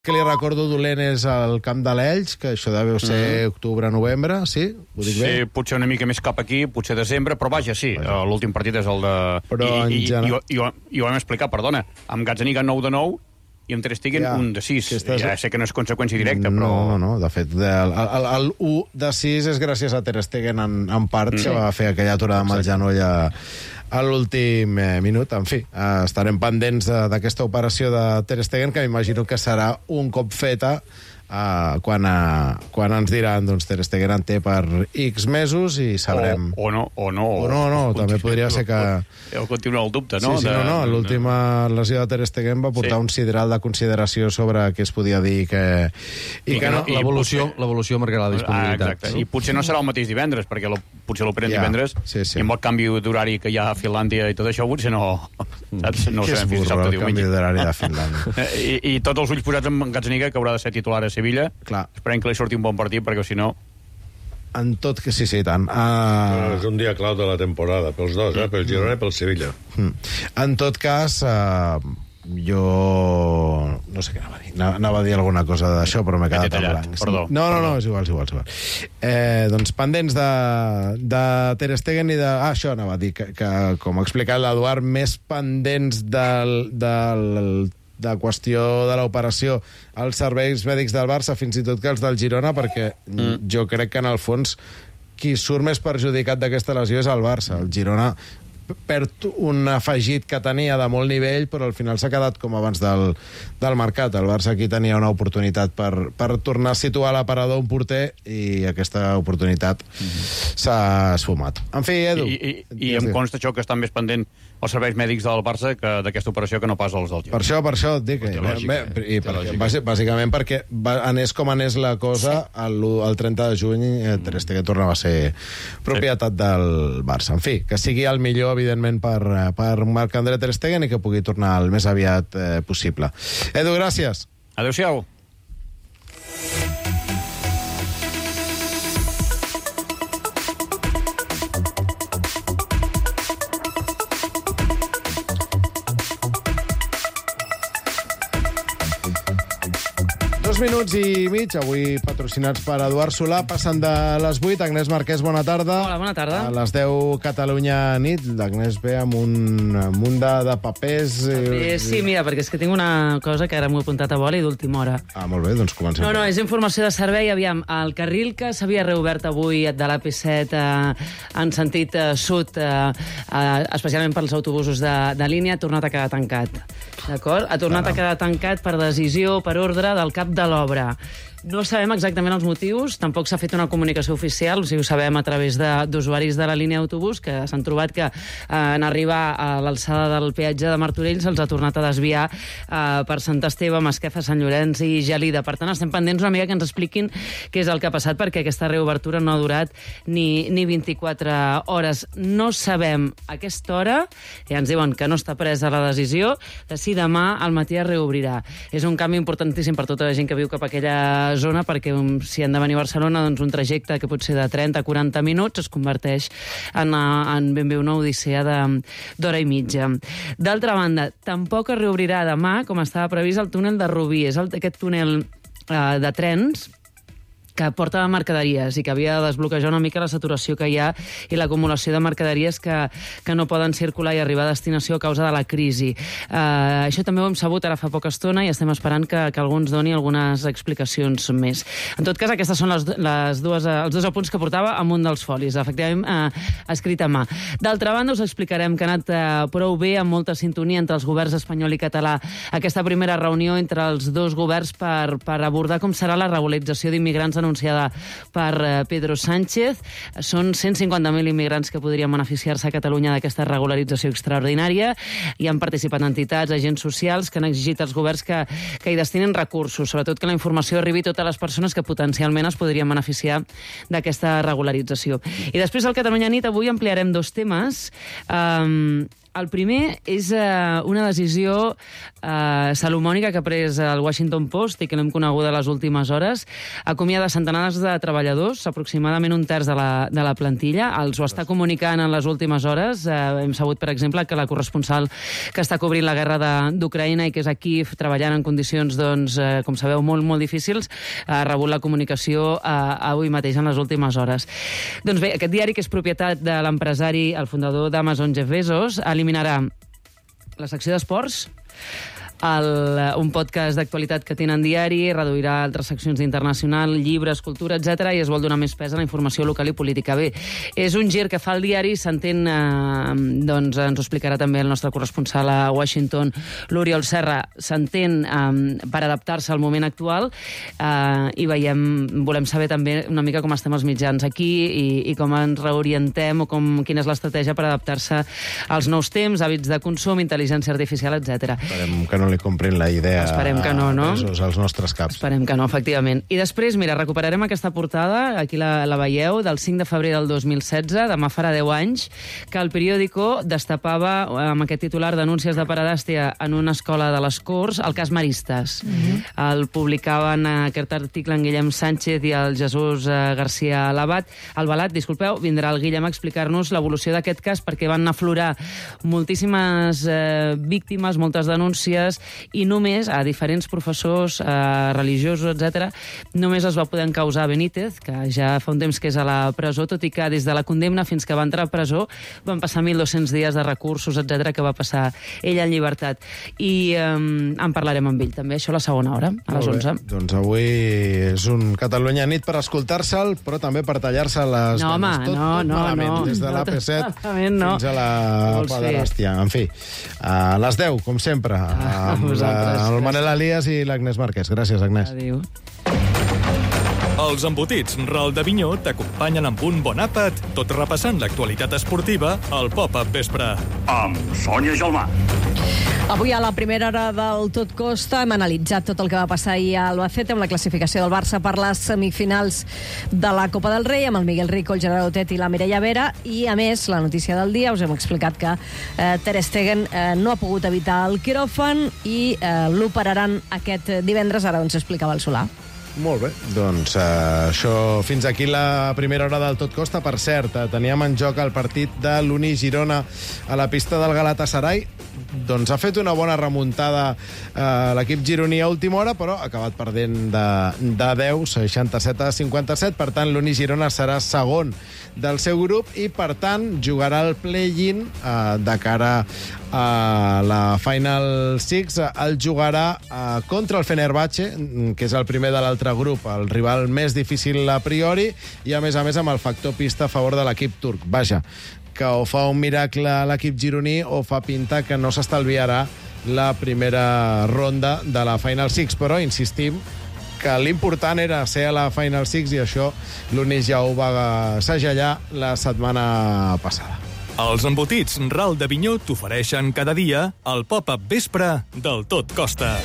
Que li recordo dolent és el camp de l'Elx, que això deu ser octubre-novembre, sí? Ho dic bé? Sí, potser una mica més cap aquí, potser desembre, però vaja, sí, l'últim partit és el de... Però I ho hem explicat, perdona, amb Gazzaniga 9 de 9 i amb Ter Stegen 1 de 6. Ja sé que no és conseqüència directa, però... No, de fet, el 1 de 6 és gràcies a Ter Stegen en part, que va fer aquella aturada amb el genoll a l'últim minut. En fi, estarem pendents d'aquesta operació de Ter Stegen, que m'imagino que serà un cop feta quan ens diran, doncs, Ter Stegen en té per X mesos i sabrem... O no. També podria ser que... Continua el dubte, no? Sí, l'última lesió de Ter Stegen va portar un sideral de consideració sobre què es podia dir i que no. L'evolució marcarà la disponibilitat. Exacte, i potser no serà el mateix divendres, perquè potser l'operen divendres, i amb el canvi d'horari que hi ha a Finlàndia i tot això, potser no ho sabem fins dissabte, diumenge. El canvi d'horari de Finlàndia. I tots els ulls posats en Gazzaniga, que haurà de ser titular a Sevilla. Clar. Esperem que li surti un bon partit, perquè si no... En tot que sí, tant. És un dia clau de la temporada, pels dos, pel Girona i pel Sevilla. En tot cas, jo... No sé què anava a dir. Anava a dir alguna cosa d'això, però m'he quedat en blanc. Perdó. No, és igual. Doncs pendents de Ter Stegen i de... això anava a dir, que com ha explicat l'Eduard, més pendents de qüestió de l'operació als serveis mèdics del Barça, fins i tot que els del Girona, perquè jo crec que en el fons qui surt més perjudicat d'aquesta lesió és el Barça. El Girona perd un afegit que tenia de molt nivell, però al final s'ha quedat com abans del mercat. El Barça aquí tenia una oportunitat per tornar a situar a l'aparador un porter i aquesta oportunitat s'ha esfumat. En fi, Edu... I em consta això que estan més pendent els serveis mèdics del Barça d'aquesta operació que no pas els del Girona. Per això et dic. Bàsicament perquè anés com anés la cosa, el 30 de juny Ter Stegen tornava a ser propietat del Barça. En fi, que sigui el millor, evidentment, per Marc-André Ter Stegen i que pugui tornar el més aviat possible. Edu, gràcies. Adéu-siau. Minuts i mig, avui patrocinats per Eduard Solà, passen de les 8. Agnès Marquès, bona tarda. Hola, bona tarda. A les 10, Catalunya nit. L'Agnès ve amb un munt de papers. Sí, mira, perquè és que tinc una cosa que ara m'ho he apuntat a boli d'última hora. Molt bé, doncs comencem. No, és informació de servei. Aviam, el carril que s'havia reobert avui de l'AP7 en sentit sud, especialment pels autobusos de línia, ha tornat a quedar tancat. D'acord? Ha tornat a quedar tancat per decisió, per ordre del cap de l'obra. No sabem exactament els motius, tampoc s'ha fet una comunicació oficial, o sigui, ho sabem a través d'usuaris de la línia d'autobús, que s'han trobat que en arribar a l'alçada del peatge de Martorell se'ls ha tornat a desviar per Sant Esteve, Masquefa, Sant Llorenç i Gelida. Per tant, estem pendents una mica que ens expliquin què és el que ha passat, perquè aquesta reobertura no ha durat ni 24 hores. No sabem a aquesta hora, ja ens diuen que no està presa la decisió, de si demà al matí es reobrirà. És un canvi importantíssim per tota la gent que viu cap a aquella zona, perquè si han de venir a Barcelona, doncs un trajecte que pot ser de 30 a 40 minuts es converteix en ben bé una odissea d'hora i mitja. D'altra banda, tampoc es reobrirà demà, com estava previst, el túnel de Rubí. És aquest túnel de trens que porta mercaderies i que havia de desbloquejar una mica la saturació que hi ha i l'acumulació de mercaderies que no poden circular i arribar a destinació a causa de la crisi. Això també ho hem sabut ara fa poca estona i estem esperant que algú ens doni algunes explicacions més. En tot cas, aquestes són els dos apunts que portava amunt dels folis, efectivament escrit a mà. D'altra banda, us explicarem que ha anat prou bé, amb molta sintonia entre els governs espanyol i català, aquesta primera reunió entre els dos governs per abordar com serà la regularització d'immigrants anunciada per Pedro Sánchez. Són 150.000 immigrants que podrien beneficiar-se a Catalunya d'aquesta regularització extraordinària i han participat entitats, agents socials que han exigit als governs que hi destinin recursos, sobretot que la informació arribi a totes les persones que potencialment es podrien beneficiar d'aquesta regularització. I després al Catalunya nit avui ampliarem dos temes. El primer és una decisió salomònica que ha pres el Washington Post i que l'hem coneguda a les últimes hores. Acomiada centenars de treballadors, aproximadament un terç de la plantilla. Els ho està comunicant en les últimes hores. Hem sabut, per exemple, que la corresponsal que està cobrint la guerra d'Ucraïna i que és a Kíev, treballant en condicions, doncs, com sabeu, molt, molt difícils, ha rebut la comunicació avui mateix, en les últimes hores. Doncs bé, aquest diari, que és propietat de l'empresari, el fundador d'Amazon, Jeff Bezos, eliminarà la secció d'esports, un podcast d'actualitat que tenen diari, reduirà altres seccions d'internacional, llibres, cultura, etc., i es vol donar més pes a la informació local i política. Bé, és un gir que fa el diari, s'entén, doncs ens ho explicarà també el nostre corresponsal a Washington, l'Oriol Serra, s'entén per adaptar-se al moment actual, i volem saber també una mica com estem els mitjans aquí i com ens reorientem o quina és l'estratègia per adaptar-se als nous temps, hàbits de consum, intel·ligència artificial, etc. Esperem que no li comprin la idea. Esperem que no, no? Als nostres caps. Esperem que no, efectivament. I després, mira, recuperarem aquesta portada, aquí la veieu, del 5 de febrer del 2016, demà farà 10 anys, que el periòdico destapava amb aquest titular d'anúncies de paredàstia en una escola de les Corts, el cas Maristes. El publicaven aquest article en Guillem Sánchez i el Jesús García Albalat, vindrà el Guillem a explicar-nos l'evolució d'aquest cas, perquè van aflorar moltíssimes víctimes, moltes denúncies, i només a diferents professors religiosos, etc., només es va poder encausar Benítez, que ja fa un temps que és a la presó, tot i que des de la condemna fins que va entrar a presó van passar 1.200 dies de recursos, etc., que va passar ell en llibertat. I en parlarem amb ell també, això a la segona hora, a les 11. Doncs avui és un Catalunya nit per escoltar-se'l, però també per tallar-se les ganes. Tot malament, des de l'AP7 fins a la pederàstia. En fi, a les 10, com sempre, el Manel Elias i l'Agnès Marquès. Gràcies, Agnès. Adéu. Els embotits Ral d'Avinyó t'acompanyen amb un bon àpat, tot repassant l'actualitat esportiva al Pop-Up Vespre. Amb Sònia Gelmà. Avui a la primera hora del Tot Costa hem analitzat tot el que va passar ahir a Albacete amb la classificació del Barça per les semifinals de la Copa del Rei, amb el Miguel Rico, el Gerard Otet i la Mireia Vera, i a més la notícia del dia, us hem explicat que Ter Stegen no ha pogut evitar el quiròfan i l'operaran aquest divendres, ara ens explicava el Solà. Molt bé, doncs això, fins aquí la primera hora del Tot Costa. Per cert, teníem en joc el partit de l'Uni Girona a la pista del Galatasaray. Doncs ha fet una bona remuntada l'equip gironí a última hora, però ha acabat perdent de 10, 67-57. Per tant, l'Uni Girona serà segon del seu grup i, per tant, jugarà el play-in de cara a la Final Six. El jugarà contra el Fenerbahce, que és el primer de l'altre grup, el rival més difícil a priori, i a més amb el factor pista a favor de l'equip turc. Vaja, que o fa un miracle a l'equip gironí o fa pinta que no s'estalviarà la primera ronda de la Final Six, però insistim que l'important era ser a la Final Six i això l'Uni ja ho va segellar la setmana passada. Els embotits Ral d'Avinyó t'ofereixen cada dia el Pop-Up Vespre del Tot Costa.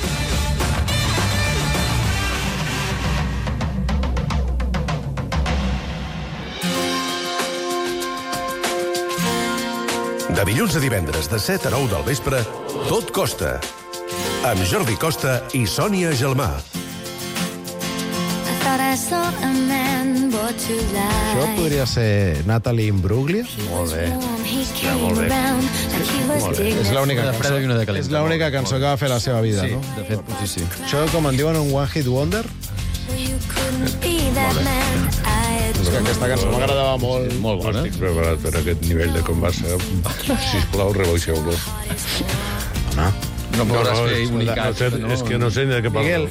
De dilluns a divendres, de 7 a 9 del vespre, Tot Costa. Amb Jordi Costa i Sònia Gelmà. Això podria ser Natalie Imbruglia? Molt bé. Molt bé. És l'única cançó que va fer la seva vida, sí, no? De fet, potser sí. Això, com en diuen, un One Hit Wonder? És que aquesta cançó m'agradava molt. Sí, molt bona. Estic preparat per aquest nivell de combassa. Sisplau, rebaixeu-lo. Home, No podràs fer unicat. És que no sé ni de què parlo. Miguel,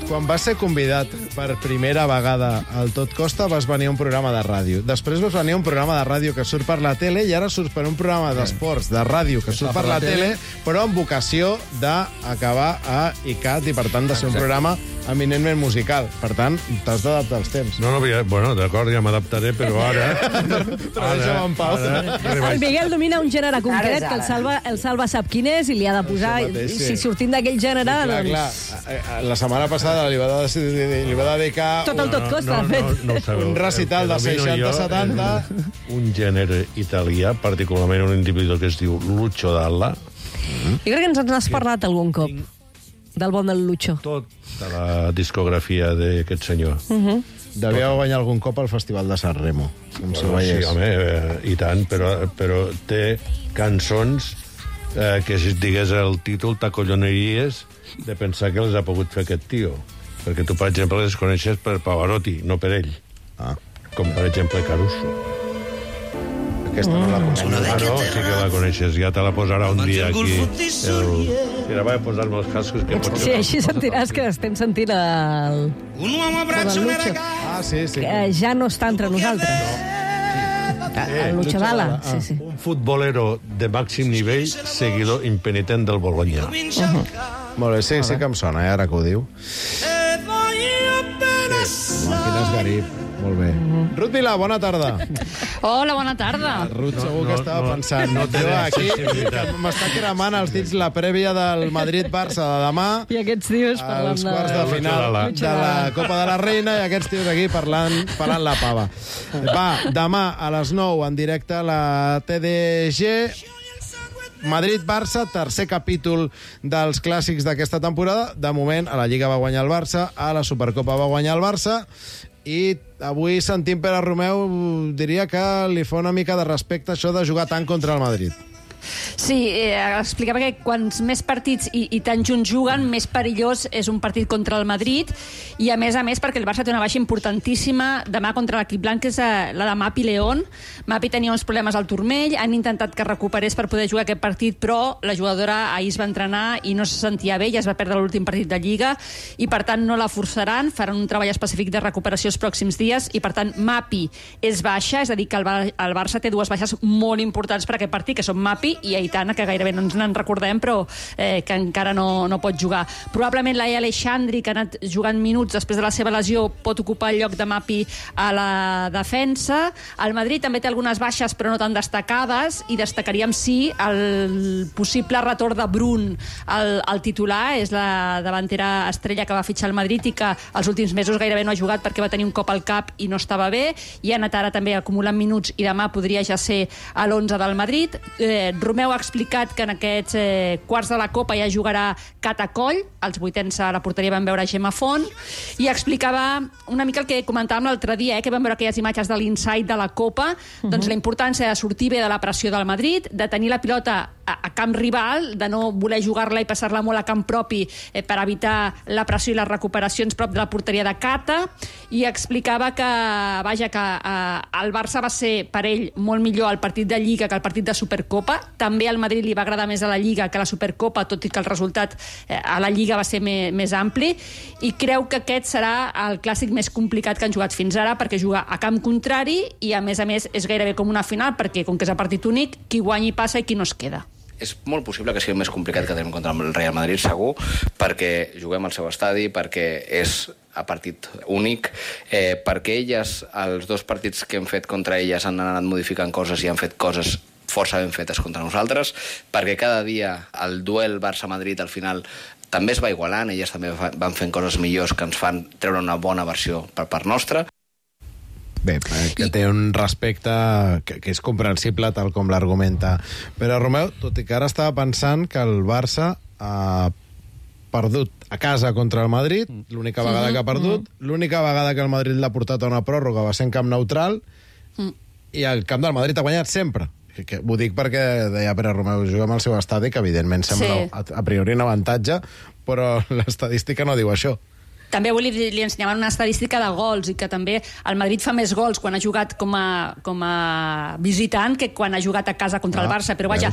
quan vas ser convidat per primera vegada al Tot Costa, vas venir a un programa de ràdio. Després vas venir a un programa de ràdio que surt per la tele i ara surts per un programa d'esports de ràdio que surt per la tele, però amb vocació d'acabar a ICAT i, per tant, de ser un programa eminentment musical. Per tant, t'has d'adaptar als temps. No, bueno, d'acord, ja m'adaptaré, però ara... Però deixa'm en pau. El Miguel domina un gènere concret que el Salva sap quin és i li ha de posar si sortim d'aquell gènere... Clar. La setmana passada li va dedicar... Tot el tot costa, de fet. Un recital de 60-70. Un gènere italià, particularment un individu que es diu Lucio Dalla. Jo crec que ens n'has parlat algun cop, del bon del Lucho. Tota la discografia d'aquest senyor. Devia guanyar algun cop al Festival de San Remo. Sí, home, i tant, però té cançons que, si et digués el títol, t'acolloneries de pensar que les ha pogut fer aquest tio. Perquè tu, per exemple, les coneixes per Pavarotti, no per ell. Com, per exemple, Caruso. Aquesta no la coneixes. No, sí que la coneixes. Ja te la posarà un dia aquí. Mira, vaig a posar-me els cascos. Sí, així sentiràs que estem sentint el Lucho. Sí. Que ja no està entre nosaltres. El Lucho Dalla. Un futbolero de màxim nivell, seguidor impenitent del Bologna. Molt bé, sí que em sona, ara que ho diu. Quin esgarip. Molt bé. Ruth Vilà, bona tarda. Hola, bona tarda. Ruth segur que estava pensant. Aquí m'està cremant els dits la prèvia del Madrid-Barça de demà. I aquests tios parlant els quarts de final de la Copa de la Reina i aquests tios aquí parlant la pava. Va, demà a les 9 en directe a la TDG. Madrid-Barça, tercer capítol dels clàssics d'aquesta temporada. De moment, a la Lliga va guanyar el Barça, a la Supercopa va guanyar el Barça, i avui sentint Pere Romeu diria que li fa una mica de respecte això de jugar tant contra el Madrid. Sí, explicava que quants més partits i tan junts juguen, més perillós és un partit contra el Madrid, i a més perquè el Barça té una baixa importantíssima demà contra l'equip blanc, que és la de Mapi León. Mapi tenia uns problemes al turmell, han intentat que recuperés per poder jugar aquest partit, però la jugadora ahir es va entrenar i no se sentia bé, ja es va perdre l'últim partit de Lliga, i per tant no la forçaran, faran un treball específic de recuperació els pròxims dies, i per tant Mapi és baixa, és a dir, que el Barça té dues baixes molt importants per aquest partit, que són Mapi i Aitana, que gairebé no ens n'en recordem, però que encara no pot jugar. Probablement Laia Aleixandri, que ha anat jugant minuts després de la seva lesió, pot ocupar el lloc de Mapi a la defensa. El Madrid també té algunes baixes, però no tan destacades, i destacaríem sí el possible retorn de Brun al titular. És la davantera estrella que va fitxar el Madrid i que els últims mesos gairebé no ha jugat perquè va tenir un cop al cap i no estava bé, i ha anat ara també acumulant minuts i demà podria ja ser a l'11 del Madrid. Romeu ha explicat que en aquests quarts de la Copa ja jugarà Catacoll, els vuitens a la porteria van veure Gemma Font, i explicava una mica el que comentàvem l'altre dia, que vam veure aquelles imatges de l'inside de la Copa, doncs la importància de sortir bé de la pressió del Madrid, de tenir la pilota a camp rival, de no voler jugar-la i passar-la molt a camp propi per evitar la pressió i les recuperacions prop de la porteria de Cata, i explicava que, vaja, que el Barça va ser per ell molt millor el partit de Lliga que el partit de Supercopa. També al Madrid li va agradar més a la Lliga que a la Supercopa, tot i que el resultat a la Lliga va ser més ampli, i creu que aquest serà el clàssic més complicat que han jugat fins ara, perquè juga a camp contrari i a més és gairebé com una final, perquè com que és a partit únic, qui guanyi passa i qui no es queda. És molt possible que sigui més complicat que tenim contra el Real Madrid, segur, perquè juguem al seu estadi, perquè és a partit únic, perquè elles, els dos partits que hem fet contra elles, han anat modificant coses i han fet coses força ben fetes contra nosaltres, perquè cada dia el duel Barça-Madrid al final també es va igualant, elles també van fent coses millors que ens fan treure una bona versió per part nostra. Bé, que té un respecte que és comprensible, tal com l'argumenta Pere Romeu, tot i que ara estava pensant que el Barça ha perdut a casa contra el Madrid, l'única vegada que ha perdut, l'única vegada que el Madrid l'ha portat a una pròrroga va ser en camp neutral, i el camp del Madrid ha guanyat sempre. Ho dic perquè deia Pere Romeu, juguem al seu estadi, que evidentment sembla a priori un avantatge, però l'estadística no diu això. També avui li ensenyaven una estadística de gols, i que també el Madrid fa més gols quan ha jugat com a visitant que quan ha jugat a casa contra el Barça. Però vaja,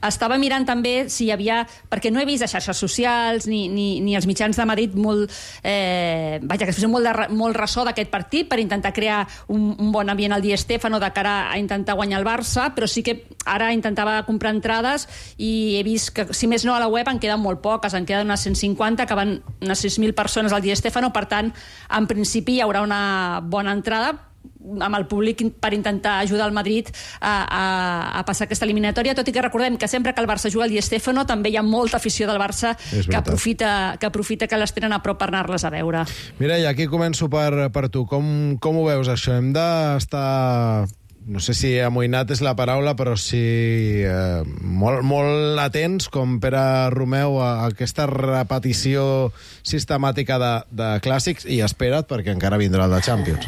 estava mirant també si hi havia, perquè no he vist a xarxes socials ni els mitjans de Madrid vaja, que es fes molt ressò d'aquest partit per intentar crear un bon ambient al Di Stéfano de cara a intentar guanyar el Barça, però sí que ara intentava comprar entrades i he vist que, si més no, a la web en queden molt poques, en queden unes 150, que van unes 6.000 persones al Di Stéfano, per tant, en principi hi haurà una bona entrada, amb el públic per intentar ajudar el Madrid a passar aquesta eliminatòria, tot i que recordem que sempre que el Barça juga al Di Stéfano també hi ha molta afició del Barça que aprofita que les tenen a prop per anar-les a veure. Mireia, aquí començo per tu. Com ho veus, això? Hem d'estar... No sé si amoïnat és la paraula, però sí molt atents, com Pere Romeu, a aquesta repetició sistemàtica de clàssics, i espera't, perquè encara vindrà el de Champions.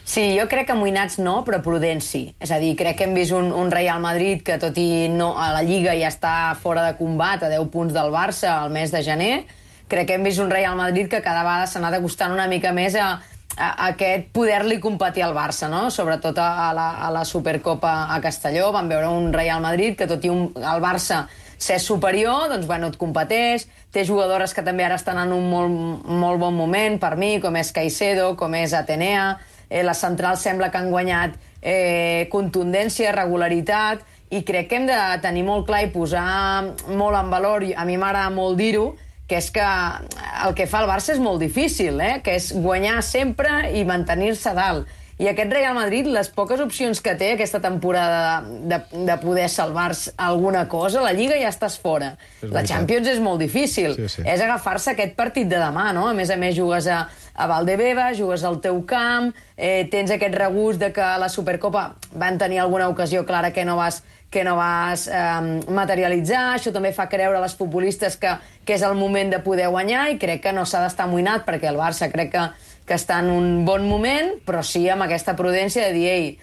Sí, jo crec que amoïnats no, però prudents sí. És a dir, crec que hem vist un Real Madrid que, tot i no a la Lliga, ja està fora de combat, a 10 punts del Barça al mes de gener. Crec que hem vist un Real Madrid que cada vegada s'ha anat acostant una mica més a aquest poder-li competir al Barça, no? Sobretot a la Supercopa a Castelló. Vam veure un Real Madrid que, tot i el Barça ser superior, doncs, bueno, et competeix. Té jugadores que també ara estan en un molt bon moment, per mi, com és Caicedo, com és Atenea. Les centrals sembla que han guanyat contundència, regularitat, i crec que hem de tenir molt clar i posar molt en valor, a mi m'agrada molt dir-ho, que és que el que fa el Barça és molt difícil, que és guanyar sempre i mantenir-se dalt. I aquest Real Madrid, les poques opcions que té aquesta temporada de poder salvar-se alguna cosa, la Lliga ja estàs fora. La Champions és molt difícil. Sí. És agafar-se aquest partit de demà, no? A més, jugues a Valdebebas, jugues al teu camp, tens aquest regust de que a la Supercopa van tenir alguna ocasió clara que no vas materialitzar. Això també fa creure a les futbolistes que és el moment de poder guanyar, i crec que no s'ha d'estar amoïnat, perquè el Barça crec que està en un bon moment, però sí amb aquesta prudència de dir,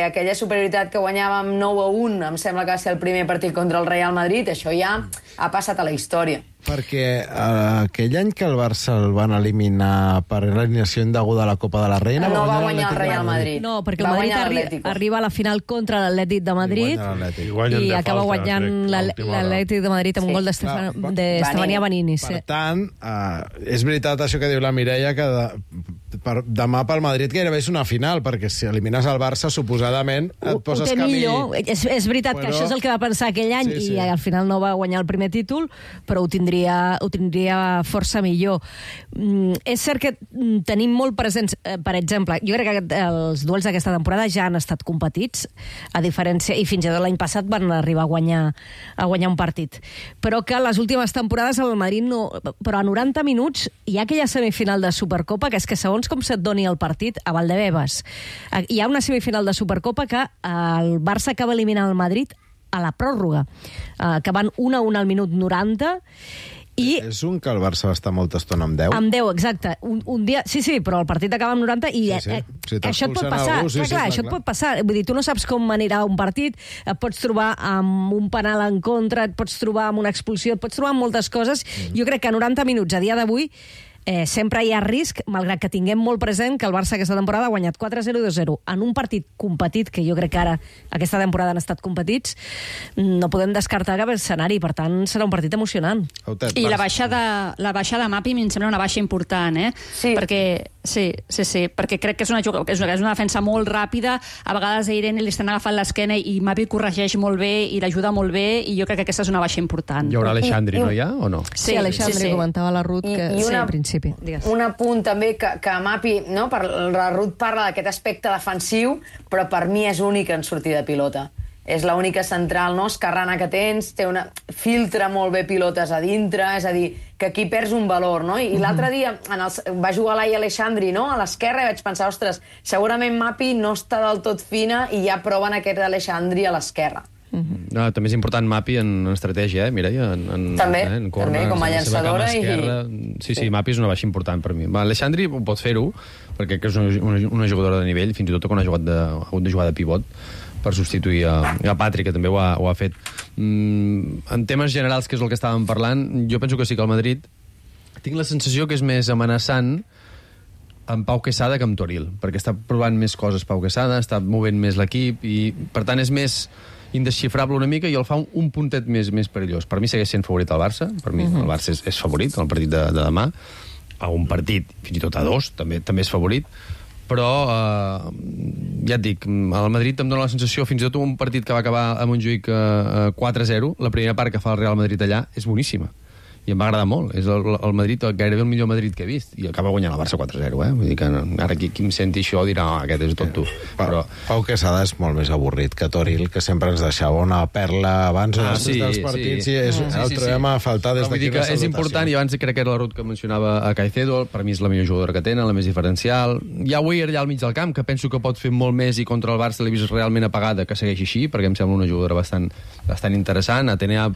aquella superioritat que guanyàvem 9-1, em sembla que va ser el primer partit contra el Real Madrid, això ja ha passat a la història. Perquè aquell any que el Barça el van eliminar per l'eliminació indeguda a la Copa de la Reina... No va guanyar el Real Madrid. No, perquè el Madrid arriba a la final contra l'Atlètic de Madrid i acaba guanyant l'Atlètic de Madrid amb un gol d'Estefania Benini. Per tant, és veritat això que diu la Mireia, que demà pel Madrid gairebé és una final, perquè si elimines el Barça, suposadament et poses camí... És veritat que això és el que va pensar aquell any, i al final no va guanyar el primer títol, però ho tindria força millor. És cert que tenim molt presents, per exemple, jo crec que els duels d'aquesta temporada ja han estat competits, a diferència, i fins i tot l'any passat van arribar a guanyar un partit. Però que les últimes temporades el Madrid no... Però a 90 minuts hi ha aquella semifinal de Supercopa, que és que segons com se't doni el partit, a Valdebebas hi ha una semifinal de Supercopa que el Barça acaba eliminant el Madrid a la pròrroga, que van 1-1 al minut 90, i... És un que el Barça va estar molta estona amb 10? Amb 10, exacte. Un dia... Sí, però el partit acaba amb 90 i això et pot passar. Això et pot passar. Vull dir, tu no saps com anirà un partit, et pots trobar amb un penal en contra, et pots trobar amb una expulsió, et pots trobar amb moltes coses. Jo crec que a 90 minuts, a dia d'avui, sempre hi ha risc, malgrat que tinguem molt present que el Barça aquesta temporada ha guanyat 4-0 i 2-0 en un partit competit, que jo crec que ara aquesta temporada han estat competits. No podem descartar cap escenari, per tant serà un partit emocionant. I la baixada de Mapi em sembla una baixa important, Sí. Perquè crec que és una defensa molt ràpida, a vegades a Irene li estan agafant l'esquena i Mapi corregeix molt bé i l'ajuda molt bé, i jo crec que aquesta és una baixa important. Hi haurà Alexandri, no hi ha, o no? Sí, Alexandri comentava la Ruth que sí, al principi. Un apunt també que Mapi, no? La Ruth parla d'aquest aspecte defensiu, però per mi és únic en sortir de pilota. És l'única central, no?, esquerrana que tens, filtra molt bé pilotes a dintre, és a dir, que aquí perds un valor, no? I l'altre dia va jugar l'Ai Alexandri, no?, a l'esquerra, i vaig pensar, ostres, segurament Mapi no està del tot fina i ja proven aquest Alexandri a l'esquerra. No, també és important Mapi en estratègia, Mireia? També, com a llançadora. Sí, Mapi és una baixa important per mi. Alexandri pot fer-ho, perquè és una jugadora de nivell, fins i tot quan ha hagut de jugar de pivot per substituir a Patri, que també ho ha fet. En temes generals, que és el que estàvem parlant, jo penso que sí que el Madrid tinc la sensació que és més amenaçant amb Pau Quesada que amb Toril, perquè està provant més coses Pau Quesada, està movent més l'equip, i per tant és més indesxifrable una mica, i el fa un puntet més perillós. Per mi segueix sent favorit el Barça, per mi el Barça és favorit el partit de demà, a un partit fins i tot a 2 també és favorit, però ja et dic, el Madrid em dóna la sensació, fins i tot un partit que va acabar a Montjuïc 4-0, la primera part que fa el Real Madrid allà és boníssima, i em va agradar molt. És el Madrid, gairebé el millor Madrid que he vist, i acaba guanyant el Barça 4-0, Vull dir que ara qui em senti això dirà, aquest és tonto. Però Pau Quesada és molt més avorrit que Toril, que sempre ens deixava una perla abans o després dels partits, i el trobem a faltar des d'aquí. És important, i abans crec que era la Ruth que mencionava a Caicedo, per mi és la millor jugadora que tenen, la més diferencial. Hi ha Weir allà al mig del camp, que penso que pot fer molt més, i contra el Barça l'he vist realment apagada, que segueixi així, perquè em sembla una jugadora bastant interessant. Atenea,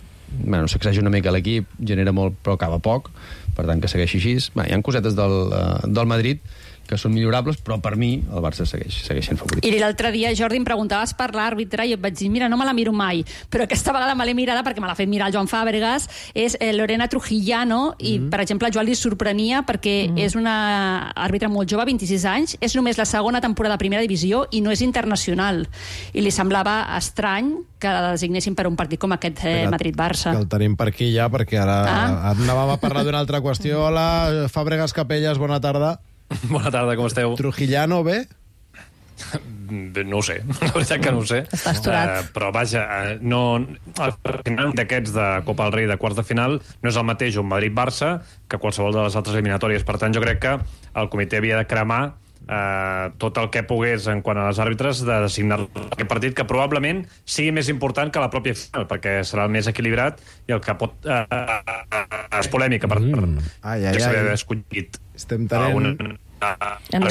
s'exagera una mica l'equip, genera molt però acaba poc, per tant que segueixi així. Hi ha cosetes del Madrid que són millorables, però per mi el Barça segueix sent favorit. I l'altre dia, Jordi, em preguntaves per l'àrbitre i et vaig dir, mira, no me la miro mai, però aquesta vegada me l'he mirada perquè me l'ha fet mirar el Joan Fàbregas, és Lorena Trujillano, i, per exemple, Joan li sorprenia perquè és una àrbitre molt jove, 26 anys, és només la segona temporada de primera divisió i no és internacional. I li semblava estrany que la designessin per un partit com aquest Madrid-Barça. Que el tenim per aquí ja, perquè ara anàvem a parlar d'una altra qüestió. Hola, Fàbregas Capelles, bona tarda. Bona tarda, com esteu? Trujillano, bé? No ho sé, la veritat que no ho sé. Està estorat. Però vaja, el final d'aquests de Copa del Rei de quarts de final no és el mateix un Madrid-Barça que qualsevol de les altres eliminatòries. Per tant, jo crec que el comitè havia de cremar tot el que pogués en quant a les àrbitres de designar aquest partit, que probablement sigui més important que la pròpia final, perquè serà el més equilibrat i el que pot és polèmica per que s'ha escollit. Estem tenint... Hem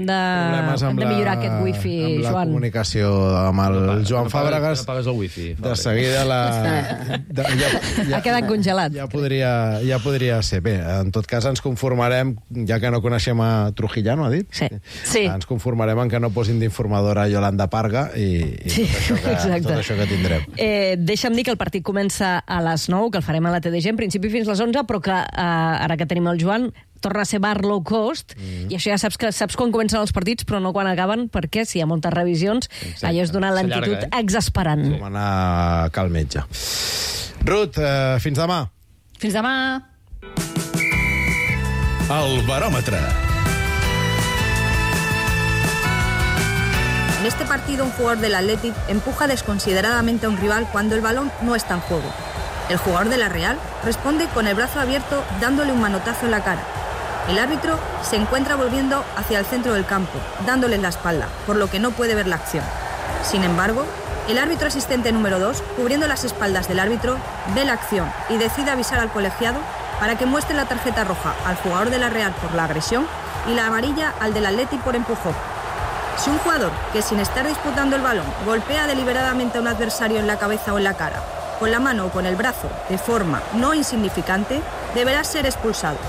de millorar aquest wifi, Joan. Amb la comunicació amb el Joan Fàbregas. Apagues el wifi. De seguida ha quedat congelat. Ja podria ser. Bé, en tot cas ens conformarem, ja que no coneixem a Trujillano, ha dit? Sí. Ens conformarem en que no posin d'informadora Yolanda Parga i tot això que tindrem. Deixa'm dir que el partit comença a les 9, que el farem a la TDG, en principi fins les 11, però que ara que tenim el Joan torna a ser bar low cost, i això ja saps quan comencen els partits, però no quan acaben, perquè si hi ha moltes revisions, allò és donar lentitud exasperant. Com anar a cal metge. Ruth, fins demà. Fins demà. El baròmetre. En este partido, un jugador del Athletic empuja desconsideradamente a un rival cuando el balón no está en juego. El jugador de la Real responde con el brazo abierto dándole un manotazo en la cara. El árbitro se encuentra volviendo hacia el centro del campo, dándole la espalda, por lo que no puede ver la acción. Sin embargo, el árbitro asistente número 2, cubriendo las espaldas del árbitro, ve la acción y decide avisar al colegiado para que muestre la tarjeta roja al jugador de la Real por la agresión y la amarilla al del Athletic por empujón. Si un jugador que sin estar disputando el balón golpea deliberadamente a un adversario en la cabeza o en la cara, con la mano o con el brazo, de forma no insignificante, deberá ser expulsado.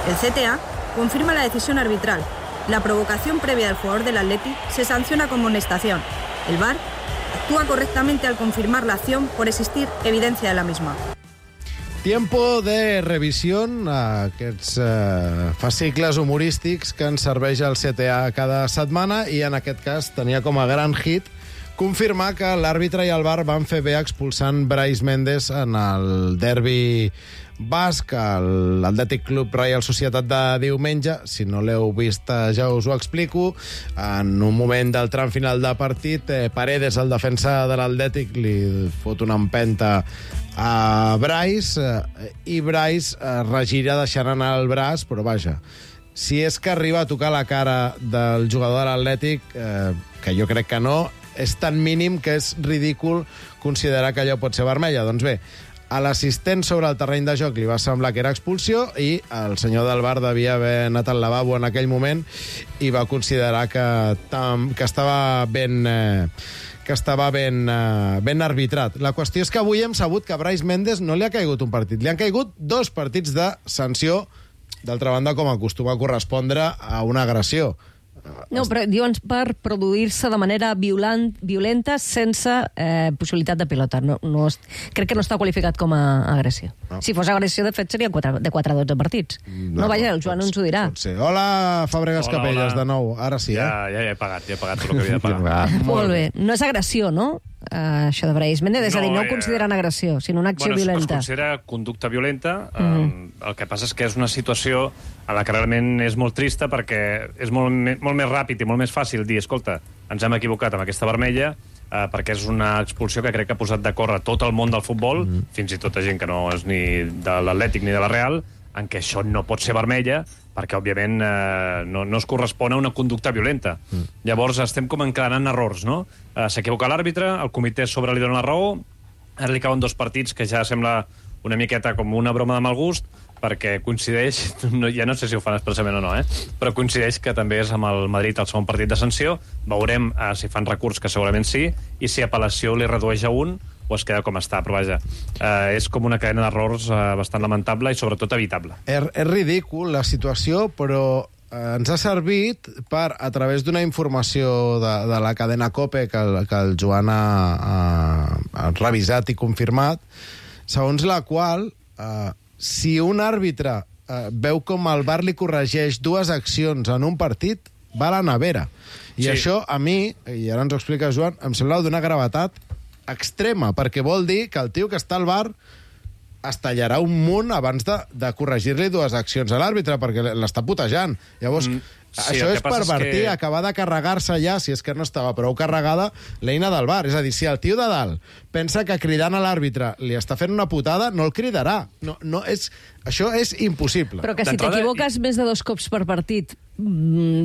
El CTA confirma la decisión arbitral. La provocación previa del jugador del Athletic se sanciona con amonestación. El VAR actúa correctamente al confirmar la acción por existir evidencia de la misma. Tiempo de revisión, aquests fascicles humorístics que ens serveix el CTA cada setmana, i en aquest cas tenia com a gran hit confirmar que l'àrbitre i el VAR van fer bé expulsant Brais Méndez en el derbi basc, l'Atlètic Club Reial Societat de diumenge. Si no l'heu vist, ja us ho explico. En un moment del tram final de partit, Paredes, el defensa de l'Atlètic, li fot una empenta a Brais, i Brais regira deixant anar el braç, però vaja, si és que arriba a tocar la cara del jugador de l'Atlètic, que jo crec que no, és tan mínim que és ridícul considerar que allò pot ser vermella. Doncs bé, a l'assistent sobre el terreny de joc li va semblar que era expulsió, i el senyor del VAR devia haver anat al lavabo en aquell moment i va considerar que estava ben arbitrat. La qüestió és que avui hem sabut que a Brais Méndez no li ha caigut un partit, li han caigut 2 partits de sanció, d'altra banda com acostuma a correspondre a una agressió. No, però diuen per produir-se de manera violenta sense possibilitat de pilota. Crec que no està qualificat com a agressió. No. Si fos agressió, de fet, seria de 4 a 12 partits. No, vaja, el Joan ens ho dirà. Hola, Fàbregas Capelles, de nou. Ara sí, Ja he pagat tot el que havia de pagar. Molt bé. No és agressió, no? Això de Brais Méndez, és a dir, no ho consideren agressió, sinó una acció violenta. Es considera conducta violenta. El que passa és que és una situació a la que realment és molt trista, perquè és molt més ràpid i molt més fàcil dir, escolta, ens hem equivocat amb aquesta vermella, perquè és una expulsió que crec que ha posat de córrer tot el món del futbol, fins i tot gent que no és ni de l'Atlètic ni de la Real, en què això no pot ser vermella, perquè, òbviament, no es correspon a una conducta violenta. Llavors, estem com encadenant errors, no? S'equivoca l'àrbitre, el comitè sobre li dona la raó, ara li cauen 2 partits que ja sembla una miqueta com una broma de mal gust, perquè coincideix, ja no sé si ho fan expressament o no, però coincideix que també és amb el Madrid el segon partit de sanció. Veurem si fan recurs, que segurament sí, i si apel·lació li redueix a 1 o es queda com està, però vaja, és com una cadena d'errors bastant lamentable i sobretot evitable. És ridícul la situació, però ens ha servit per, a través d'una informació de la cadena COPE que el Joan ha revisat i confirmat, segons la qual si un àrbitre veu com el VAR li corregeix 2 accions en un partit, va a la nevera. I això, a mi, i ara ens ho explica Joan, em sembla d'una gravetat extrema, perquè vol dir que el tio que està al VAR es tallarà un munt abans de corregir-li 2 accions a l'àrbitre, perquè l'està putejant. Llavors, això és pervertir, acabar de carregar-se ja, si és que no estava prou carregada, l'eina del VAR. És a dir, si el tio de dalt pensa que cridant a l'àrbitre li està fent una putada, no el cridarà. Això és impossible. Però que si t'equivoques més de 2 cops per partit,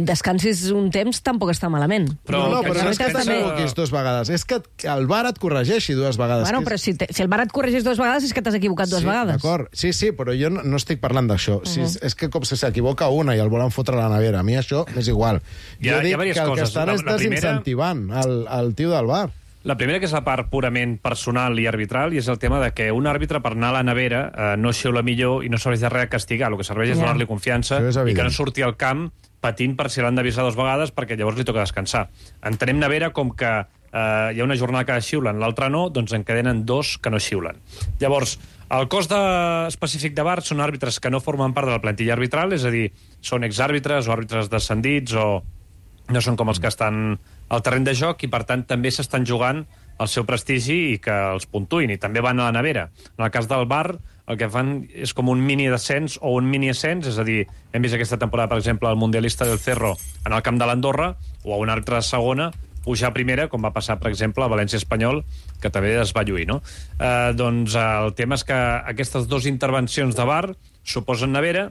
descansis un temps, tampoc està malament. Però no és que t'equivoquis 2 vegades, és que el VAR et corregeixi 2 vegades. Bueno, però si el VAR et corregeix 2 vegades és que t'has equivocat 2 vegades. D'acord, sí, però jo no estic parlant d'això. És que com si s'equivoca una i el volen fotre a la nevera. A mi això m'és igual. Jo dic que el que estan és desincentivant el tio del VAR. La primera, que és la part purament personal i arbitral, i és el tema de que un àrbitre, per anar a la nevera, no xiula millor i no serveix de res a castigar. El que serveix és donar-li confiança i que no surti al camp patint per si l'han d'avisar 2 vegades, perquè llavors li toca descansar. Entenem nevera com que hi ha una jornada que xiulen, l'altra no, doncs encadenen 2 que no xiulen. Llavors, el cos específic de VAR són àrbitres que no formen part de la plantilla arbitral, és a dir, són exàrbitres o àrbitres descendits o no són com els que estan al terreny de joc i, per tant, també s'estan jugant el seu prestigi i que els puntuïn, i també van a la nevera. En el cas del VAR, el que fan és com un mini-descens o un mini-ascens, és a dir, hem vist aquesta temporada, per exemple, el mundialista del Cerro en el camp de l'Andorra, o a un altre de segona, pujar a primera, com va passar, per exemple, a València Espanyol, que també es va lluir, no? Doncs el tema és que aquestes 2 intervencions de VAR suposen nevera,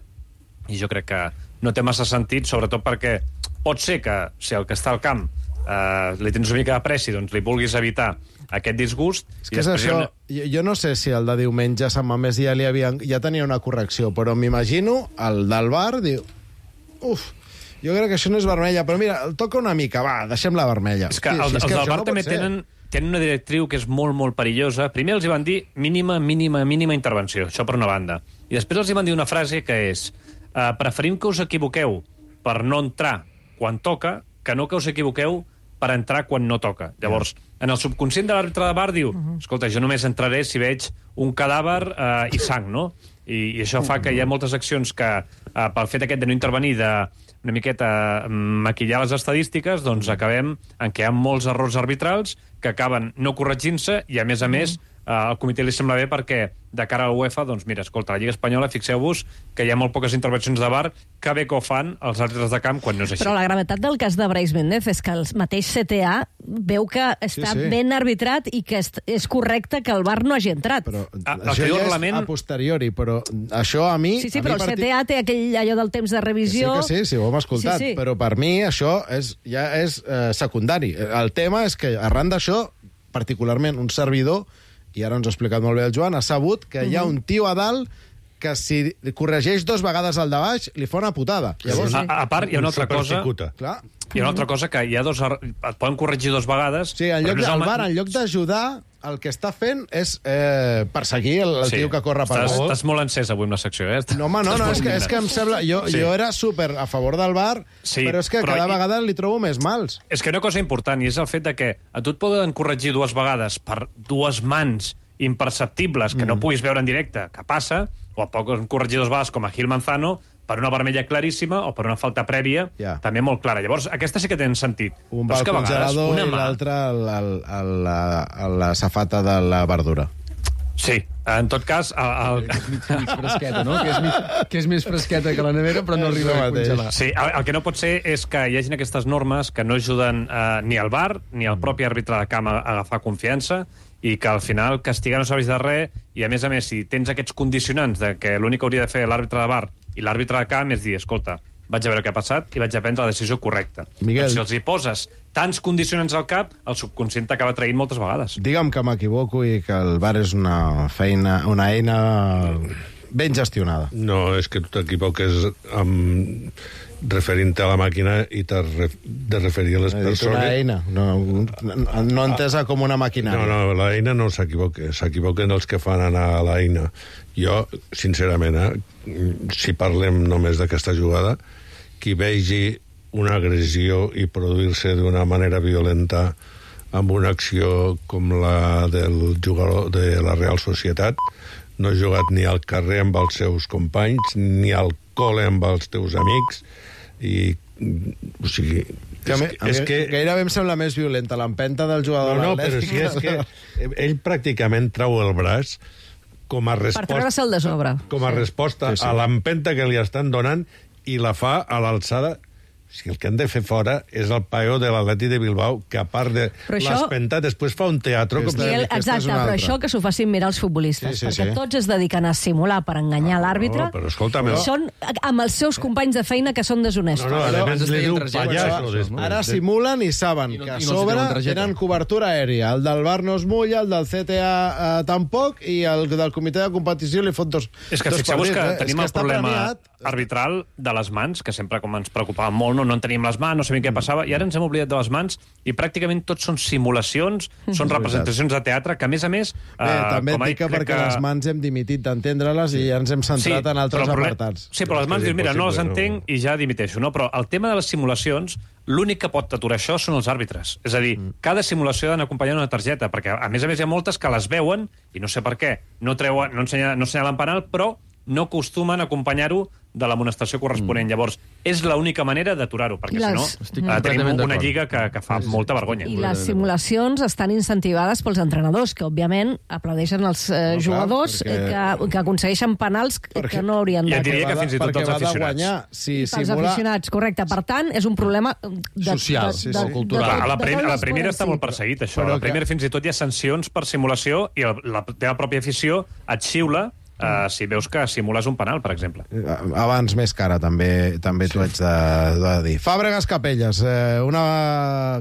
i jo crec que no té massa sentit, sobretot perquè pot ser que, si el que està al camp li tens una mica de pressi, doncs li vulguis evitar aquest disgust. És que és això, jo no sé si el de diumenge a Sant Mamés ja tenia una correcció, però m'imagino el del VAR diu, jo crec que això no és vermella, però mira, el toca una mica, va, deixem la vermella. És que els del VAR també tenen una directriu que és molt, molt perillosa. Primer els hi van dir mínima intervenció, això per una banda. I després els hi van dir una frase que és preferim que us equivoqueu per no entrar quan toca, que no que us equivoqueu per entrar quan no toca. Llavors, en el subconscient de l'àrbitre de VAR diu, escolta, jo només entraré si veig un cadàver i sang, no? I això fa que hi ha moltes accions que, pel fet aquest de no intervenir, de una miqueta maquillar les estadístiques, doncs acabem en què hi ha molts errors arbitrals que acaben no corregint-se i, a més, al comitè li sembla bé perquè, de cara a l'UEFA, doncs mira, escolta, la Lliga Espanyola, fixeu-vos que hi ha molt poques intervencions de VAR, que bé que ho fan els àrbitres de camp quan no és així. Però la gravetat del cas de Brais Méndez és que el mateix CTA veu que està ben arbitrat i que és correcte que el VAR no hagi entrat. Però això ja és a posteriori, però això a mi... Sí, però el CTA té allò del temps de revisió... Sí, ho hem escoltat, però per mi això ja és secundari. El tema és que, arran d'això, particularment un servidor, i ara ens ho ha explicat molt bé el Joan, ha sabut que hi ha un tio a dalt que si corregeix 2 vegades al de baix li fa una putada. Llavors, a part, hi ha una altra cosa... Clar. Hi ha una altra cosa, que hi ha et poden corregir 2 vegades... Sí, el VAR, en lloc d'ajudar, el que està fent és perseguir el tio que corre per gol. Estàs molt encès avui amb la secció, eh? No, home, no, és que em sembla... Jo era super a favor del VAR, però és que cada vegada li trobo més mals. És que una cosa important, i és el fet de que a tu et poden corregir 2 vegades per 2 mans imperceptibles que no puguis veure en directe, que passa, o a poc corregir 2 vegades com a Gil Manzano, per una vermella claríssima o per una falta prèvia, també molt clara. Llavors, aquesta sí que té sentit. Un va al congelador i l'altre a la safata de la verdura. Sí, en tot cas... Mig fresqueta, no? Que és més fresqueta que la nevera, però no arriba a congelar. Sí, el que no pot ser és que hi hagin aquestes normes que no ajuden ni al VAR ni al propi àrbitre de camp a agafar confiança i que al final castigar no serveix de res i, a més, si tens aquests condicionants de que l'únic que hauria de fer l'àrbitre de VAR i l'àrbitre de camp és dir, escolta, vaig a veure què ha passat i vaig a prendre la decisió correcta. Miguel. Si els hi poses tants condicionants al cap, el subconscient t'acaba traient moltes vegades. Digue'm que m'equivoco i que el VAR és una eina ben gestionada. No, és que tu t'equivoques referint-te a la màquina i t'has de referir a les persones... Una eina, no entesa com una maquinària. No, l'eina no s'equivoca, s'equivoquen els que fan anar a l'eina. Jo, sincerament, si parlem només d'aquesta jugada, qui vegi una agressió i produir-se d'una manera violenta amb una acció com la del jugador de la Real Societat, no ha jugat ni al carrer amb els seus companys, ni al col·le amb els teus amics, i, o sigui... És que gairebé em sembla més violenta l'empenta del jugador de l'Atlètic. Però si és que ell pràcticament trau el braç com a resposta... Per treure-se'l de sobre. Com a resposta a l'empenta que li estan donant i la fa a l'alçada... Si el que han de fer fora és el paio de l'Atleti de Bilbao, que a part de l'espentar, després fa un teatre... Exacte, però això que s'ho facin mirar els futbolistes, perquè tots es dediquen a simular per enganyar l'àrbitre, però escolta'm... Són amb els seus companys de feina que són deshonestos. No, a més li diu pallasso. Ara simulen i saben que a sobre tenen cobertura aèria. El del VAR no es mulla, el del CTA tampoc, i el del comitè de competició li fot dos partits. És que fixeu-vos que tenim el problema arbitral de les mans, que sempre com ens preocupava molt, no en teníem les mans, no sabíem què passava, i ara ens hem oblidat de les mans, i pràcticament tots són simulacions, són representacions de teatre, que a més... també et dic que perquè les mans hem dimitit d'entendre-les i ja ens hem centrat en altres apartats. Sí, però les mans dius, mira, no les entenc i ja dimiteixo, no? Però el tema de les simulacions, l'únic que pot aturar això són els àrbitres. És a dir, cada simulació ha d'anar acompanyant una targeta, perquè a més hi ha moltes que les veuen, i no sé per què, no assenyalen penal, però no acostumen a acompanyar-ho de l'amonestació corresponent. Llavors, és l'única manera d'aturar-ho, perquè si no tenim una lliga que fa molta vergonya. I les simulacions estan incentivades pels entrenadors, que òbviament aplaudeixen els jugadors que aconsegueixen penals que no haurien de... Ja diria que fins i tot els aficionats. Els aficionats, correcte. Per tant, és un problema social, cultural. A la primera està molt perseguit, això. A la primera fins i tot hi ha sancions per simulació i la teva pròpia afició et xiula si veus que simules un penal, per exemple. Abans més cara, també t'ho haig de dir. Fàbregas Capelles,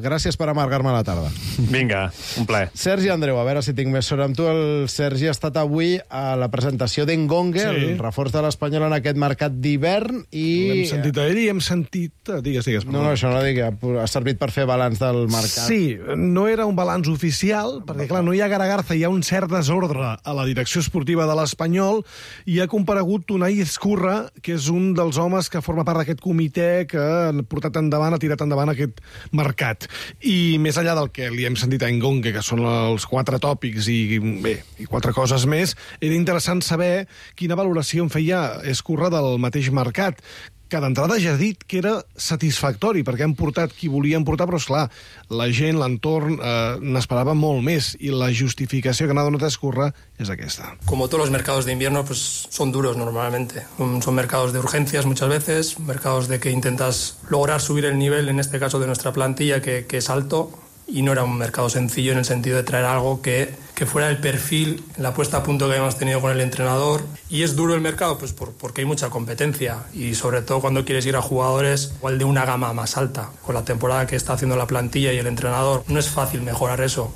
gràcies per amargar-me la tarda. Vinga, un plaer. Sergi Andreu, a veure si tinc més sort amb tu. El Sergi ha estat avui a la presentació d'Engongue, el reforç de l'Espanyol en aquest mercat d'hivern, i... L'hem sentit a ell i hem sentit... Digues. No, això no dic, ha servit per fer balanç del mercat. Sí, no era un balanç oficial, perquè, clar, no hi ha Garagarza, hi ha un cert desordre a la direcció esportiva de l'Espanyol, i ha comparegut Unai Ezcurra, que és un dels homes que forma part d'aquest comitè que ha tirat endavant aquest mercat. I més enllà del que li hem sentit a Engongue, que són els 4 tòpics i 4 coses més, era interessant saber quina valoració en feia Ezcurra del mateix mercat, que d'entrada ja ha dit que era satisfactori, perquè han portat qui volien portar, però, esclar, la gent, l'entorn, n'esperava molt més, i la justificació que n'ha donat Ezcurra és aquesta. Como todos los mercados de invierno, pues son duros normalmente. Son mercados de urgencias muchas veces, mercados de que intentas lograr subir el nivel, en este caso de nuestra plantilla, que es alto, y no era un mercado sencillo en el sentido de traer algo que fuera el perfil, la puesta a punto que habíamos tenido con el entrenador. Y es duro el mercado, pues porque hay mucha competencia, y sobre todo cuando quieres ir a jugadores igual de una gama más alta. Con la temporada que está haciendo la plantilla y el entrenador, no es fácil mejorar eso.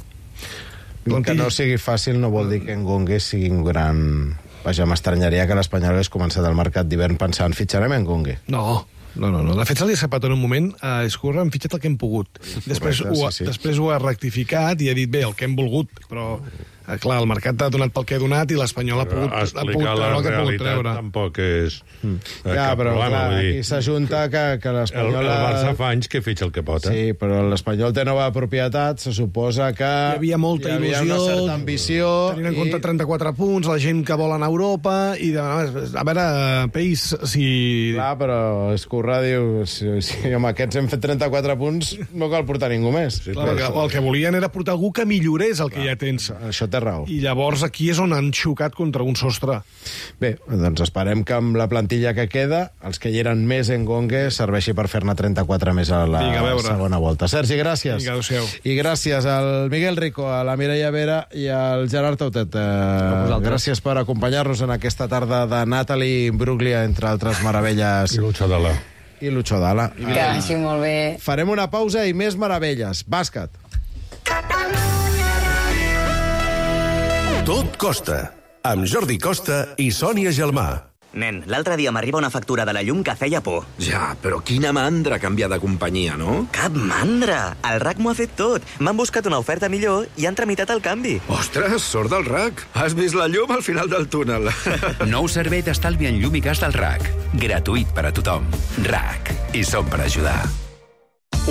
Que no sigui fàcil no vol dir que Engongue sigui un gran... Vaja, m'estranyaria que l'Espanyol hagués començat el mercat d'hivern pensant fitxarem Engongue. No. De fet, se li ha escapat en un moment a Ezcurra, hem fitxat el que hem pogut. Després ho ha rectificat i ha dit, bé, el que hem volgut, però... Clar, el mercat ha donat pel que ha donat i l'Espanyol ha pogut treure el que ha pogut treure. Tampoc és cap problema. Aquí s'ajunta que l'Espanyol... El Barça fa anys que fitxa el que pot, Sí, però l'Espanyol té nova propietat, se suposa que... Hi havia molta il·lusió, una certa ambició... Tenint en compte 34 punts, la gent que vol anar a Europa, i a veure, Peis, si... Clar, però Ezcurra diu, si amb aquests hem fet 34 punts, no cal portar ningú més. El que volien era portar algú que millorés el que ja tens. Això té raó. I llavors aquí és on han xocat contra un sostre. Bé, doncs esperem que amb la plantilla que queda, els que hi eren més en Gongue serveixi per fer-ne 34 més a la segona volta. Sergi, gràcies. Vinga, adéu-siau. I gràcies al Miguel Rico, a la Mireia Vera i al Gerard Tautet. Gràcies per acompanyar-nos en aquesta tarda de Natalie Imbruglia, entre altres meravelles. I Lucho Dalla. Que vagi molt bé. Farem una pausa i més meravelles. Bàsquet. Tot costa, amb Jordi Costa i Sònia Gelmà. Nen, l'altre dia m'arriba una factura de la llum que feia por. Ja, però quina mandra canviar de companyia, no? Cap mandra! El RAC m'ho ha fet tot. M'han buscat una oferta millor i han tramitat el canvi. Ostres, sort del RAC. Has vist la llum al final del túnel. Nou servei d'estalvi en llum i gas del RAC. Gratuït per a tothom. RAC. I som per ajudar.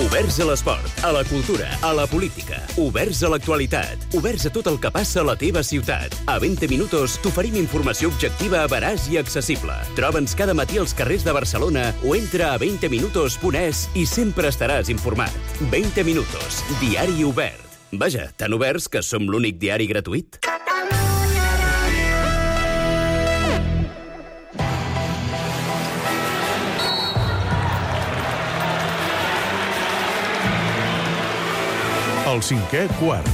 Oberts a l'esport, a la cultura, a la política. Oberts a l'actualitat. Oberts a tot el que passa a la teva ciutat. A 20 minuts t'oferim informació objectiva, veraç i accessible. Troba'ns cada matí als carrers de Barcelona o entra a 20minutos.es i sempre estaràs informat. 20 minutos, diari obert. Vaja, tan oberts que som l'únic diari gratuït. El cinquè quart.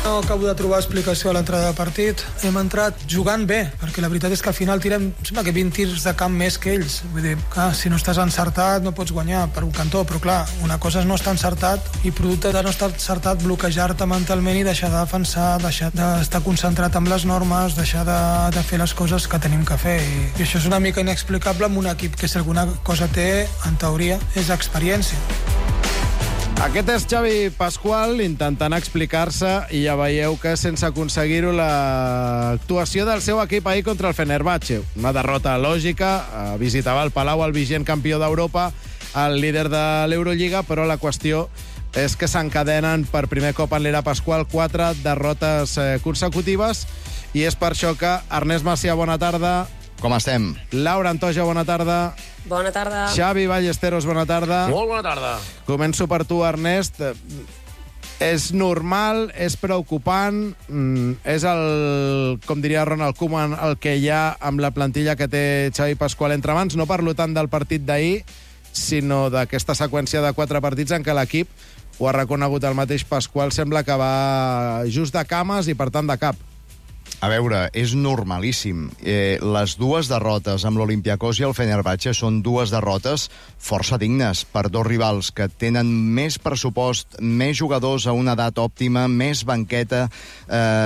No acabo de trobar explicació a l'entrada de partit. Hem entrat jugant bé, perquè la veritat és que al final tirem, sembla que 20 tirs de camp més que ells. Vull dir, clar, si no estàs encertat no pots guanyar per un cantó, però clar, una cosa és no estar encertat i producte de no estar encertat bloquejar-te mentalment i deixar de defensar, deixar d'estar concentrat amb les normes, deixar de fer les coses que tenim que fer. I això és una mica inexplicable amb un equip que si alguna cosa té, en teoria, és experiència. Aquest és Xavi Pasqual intentant explicar-se i ja veieu que sense aconseguir-ho l'actuació del seu equip ahir contra el Fenerbahçe. Una derrota lògica, visitava el Palau el vigent campió d'Europa, el líder de l'Eurolliga, però la qüestió és que s'encadenen per primer cop en l'era Pasqual 4 derrotes consecutives i és per això que Ernest Macià, bona tarda. Com estem? Laura Antoja, bona tarda. Bona tarda. Xavi Ballesteros, bona tarda. Molt bona tarda. Començo per tu, Ernest. És normal, és preocupant, és el, com diria Ronald Koeman, el que hi ha amb la plantilla que té Xavi Pasqual entre mans. No parlo tant del partit d'ahir, sinó d'aquesta seqüència de 4 partits en què l'equip, ho ha reconegut el mateix Pasqual, sembla que va just de cames i, per tant, de cap. A veure, és normalíssim. Les dues derrotes amb l'Olympiacos i el Fenerbahçe són dues derrotes força dignes per dos rivals que tenen més pressupost, més jugadors a una edat òptima, més banqueta,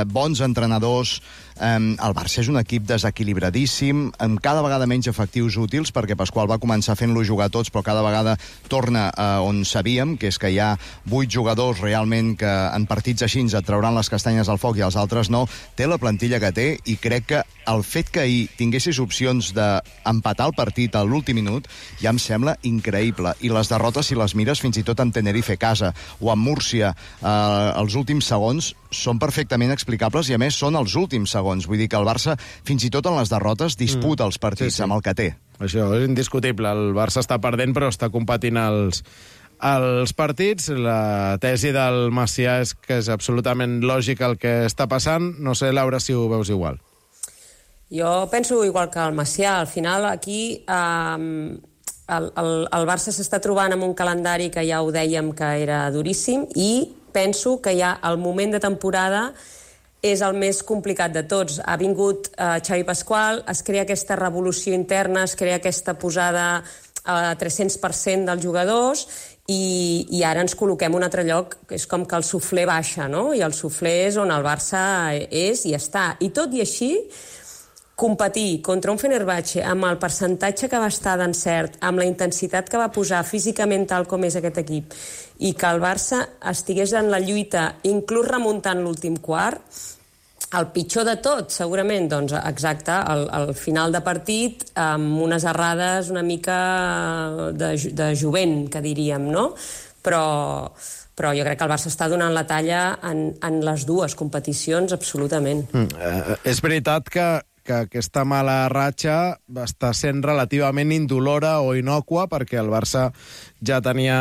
bons entrenadors. El Barça és un equip desequilibradíssim, amb cada vegada menys efectius útils, perquè Pasqual va començar fent-lo jugar tots, però cada vegada torna a on sabíem, que és que hi ha 8 jugadors realment que en partits així et trauran les castanyes al foc i els altres no. Té la plantilla que té i crec que el fet que ahir tinguessis opcions d'empatar el partit a l'últim minut ja em sembla increïble. I les derrotes, si les mires, fins i tot amb Tenerife a casa o amb Múrcia, els últims segons són perfectament explicables i, a més, són els últims segons. Vull dir que el Barça, fins i tot en les derrotes, disputa els partits amb el que té. Això és indiscutible. El Barça està perdent, però està competint els partits. La tesi del Macià és que és absolutament lògic el que està passant. No sé, Laura, si ho veus igual. Jo penso igual que el Macià. Al final, aquí el Barça s'està trobant amb un calendari que ja ho dèiem que era duríssim i penso que ja el moment de temporada és el més complicat de tots. Ha vingut Xavi Pasqual, es crea aquesta revolució interna, es crea aquesta posada a 300% dels jugadors i ara ens col·loquem un altre lloc, que és com que el suflé baixa, no? I el suflé és on el Barça és i està. I tot i així, competir contra un Fenerbahçe amb el percentatge que va estar d'encert, amb la intensitat que va posar físicament tal com és aquest equip, i que el Barça estigués en la lluita, inclús remuntant l'últim quart, el pitjor de tot, segurament, doncs, exacte, al final de partit, amb unes errades una mica de jovent, que diríem, no? Però jo crec que el Barça està donant la talla en les dues competicions, absolutament. És veritat que que aquesta mala ratxa està sent relativament indolora o inocua, perquè el Barça ja tenia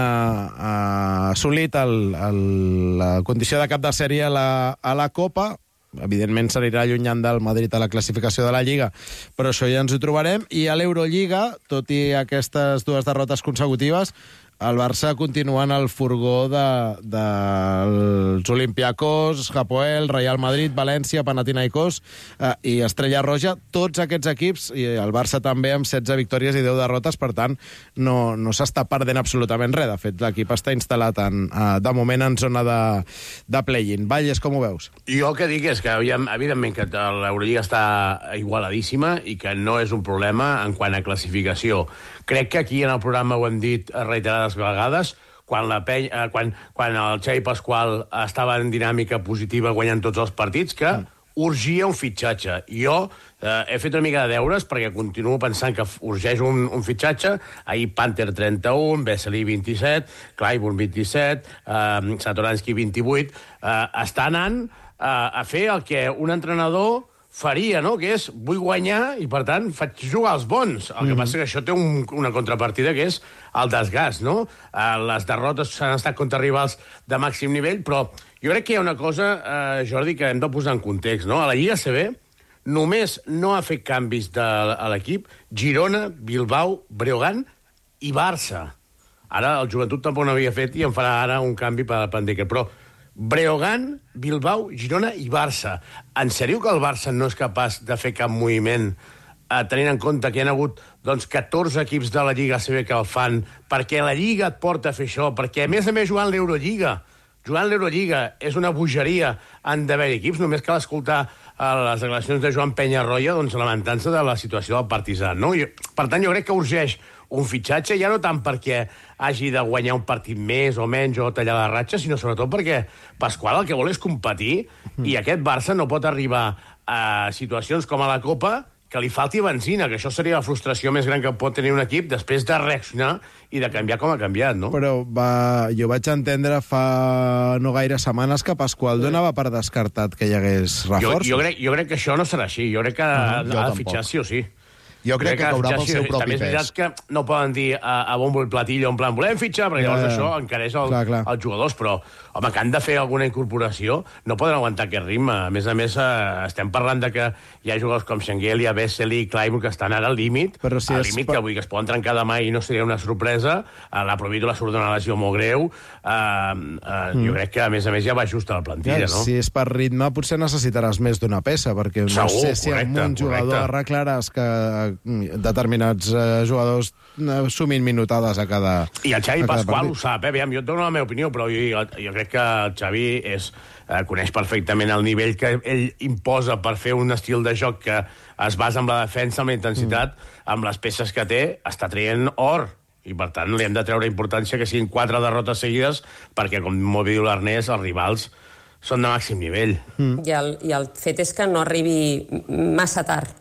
assolit la condició de cap de sèrie a la Copa. Evidentment s'anirà allunyant del Madrid a la classificació de la Lliga, però això ja ens ho trobarem. I a l'Eurolliga, tot i aquestes 2 derrotes consecutives, el Barça continua en el furgó dels Olympiacos, Hapoel, Real Madrid, València, Panathinaikos i Estrella Roja. Tots aquests equips, i el Barça també amb 16 victòries i 10 derrotes, per tant, no s'està perdent absolutament res. De fet, l'equip està instal·lat de moment en zona de play-in. Valles, com ho veus? Jo el que dic és que, evidentment, que l'Eurolliga està igualadíssima i que no és un problema en quant a classificació. Crec que aquí en el programa ho hem dit reiterades vegades, quan el Xavi Pasqual estava en dinàmica positiva guanyant tots els partits, que urgia un fitxatge. Jo he fet una mica de deures perquè continuo pensant que urgeix un fitxatge. Ahir Panther 31, Vesely 27, Clyburn 27, Satoransky 28. Està anant a fer el que un entrenador faria, no? Que és, vull guanyar i, per tant, faig jugar els bons. El que passa que això té una contrapartida, que és el desgast, no? Les derrotes han estat contra rivals de màxim nivell, però jo crec que hi ha una cosa, Jordi, que hem de posar en context, no? A la Lliga CB només no ha fet canvis a l'equip Girona, Bilbao, Breogán i Barça. Ara el Joventut tampoc no havia fet i en farà ara un canvi per Pendeker, però Breogán, Bilbao, Girona i Barça. En sèrio que el Barça no és capaç de fer cap moviment, tenint en compte que hi ha hagut 14 equips de la Lliga ACB que el fan, perquè la Lliga et porta a fer això, perquè a més jugant l'Eurolliga és una bogeria, han d'haver equips, només cal escoltar les declaracions de Joan Peñarroya, lamentant-se de la situació del Partizan, no? Per tant, jo crec que urgeix un fitxatge, ja no tant perquè hagi de guanyar un partit més o menys o tallar la ratxa, sinó sobretot perquè Pasqual el que vol és competir i aquest Barça no pot arribar a situacions com a la Copa que li falti benzina, que això seria la frustració més gran que pot tenir un equip després de reaccionar i de canviar com ha canviat, no? Però jo vaig entendre fa no gaire setmanes que Pasqual donava per descartat que hi hagués reforços. Jo crec que això no serà així. Jo crec que ha de fitxar sí o sí. Jo crec que caurà pel seu propi pes. També és veritat que no poden dir a bombo i platillo en plan volem fitxar, perquè llavors això encareix els jugadors, però home, que han de fer alguna incorporació, no poden aguantar aquest ritme. A més, estem parlant de que hi ha jugadors com Schengelia, Vesely, Clyburn, que estan ara al límit, que avui que es poden trencar demà i no seria una sorpresa. La Provítola surt d'una lesió molt greu. Jo crec que, a més, ja va just a la plantilla, no? Si és per ritme, potser necessitaràs més d'una peça, perquè no sé si amb un jugador arreglaràs que determinats jugadors sumin minutades a cada... I el Xavi Pasqual ho sap, jo et dono la meva opinió, però jo crec que el Xavi coneix perfectament el nivell que ell imposa per fer un estil de joc que es basa en la defensa, amb la intensitat, amb les peces que té, està traient or. I, per tant, li hem de treure importància que siguin 4 derrotes seguides, perquè, com molt bé diu l'Ernest, els rivals són de màxim nivell. I el fet és que no arribi massa tard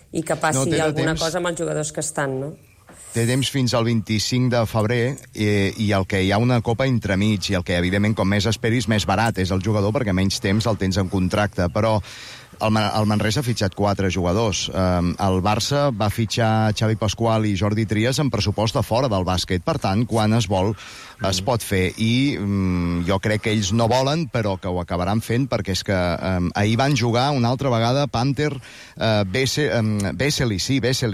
i que passi alguna cosa amb els jugadors que estan, no? Té temps fins al 25 de febrer i el que hi ha una copa entremig i el que, evidentment, com més esperis, més barat és el jugador perquè menys temps el tens en contracte. Però el Manresa ha fitxat 4 jugadors. El Barça va fitxar Xavi Pasqual i Jordi Trias en pressupost de fora del bàsquet. Per tant, quan es vol, es pot fer. I jo crec que ells no volen, però que ho acabaran fent, perquè és que ahir van jugar una altra vegada Panther, Vesely,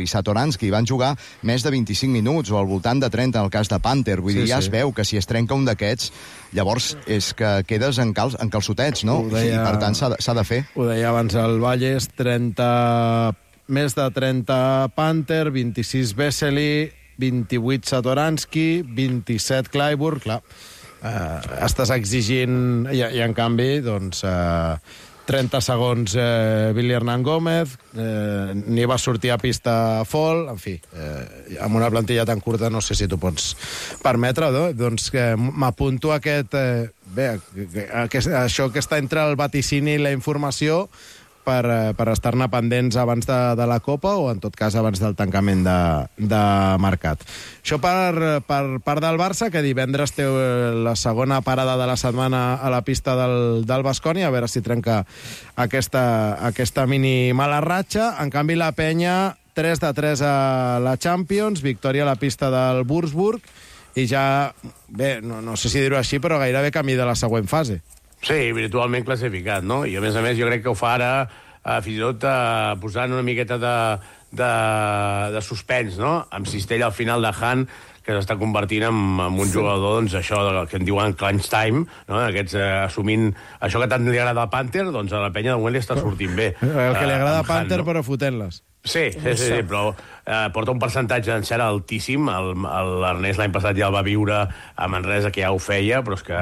Satoransky, van jugar més de 25 minuts, o al voltant de 30 en el cas de Panther. Vull dir, ja es veu que si es trenca un d'aquests, llavors és que quedes en calçotets, no? I per tant s'ha de fer. Ho deia abans el Valles, més de 30 Panther, 26 Vesely, 28 Satoransky, 27 Clyburn, clar, estàs exigint, i en canvi, doncs, 30 segons Billy Hernán Gómez, ni va sortir a pista Fall, en fi, amb una plantilla tan curta no sé si t'ho pots permetre, no? Doncs m'apunto a aquest... això que està entre el vaticini i la informació, per estar-ne pendents abans de la Copa o, en tot cas, abans del tancament de mercat. Això per part del Barça, que divendres té la segona parada de la setmana a la pista del Baskonia, a veure si trenca aquesta mini mala ratxa. En canvi, la Penya, 3-3 a la Champions, victòria a la pista del Würzburg, i ja, bé, no sé si dir-ho així, però gairebé camí de la següent fase. Sí, virtualment classificat, no? I a més jo crec que ho fa ara fins i tot posant una miqueta de suspens, no? Amb Cistella al final de Han, que s'està convertint en un jugador, doncs, això que en diuen crunch time, no? Aquests assumint això que tant li agrada a Panther, doncs a la Penya de moment li està sortint bé. El que li agrada a Panther, però fotent-les. Sí, però porta un percentatge d'encert altíssim. L'Ernest l'any passat ja el va viure a Manresa, que ja ho feia, però és que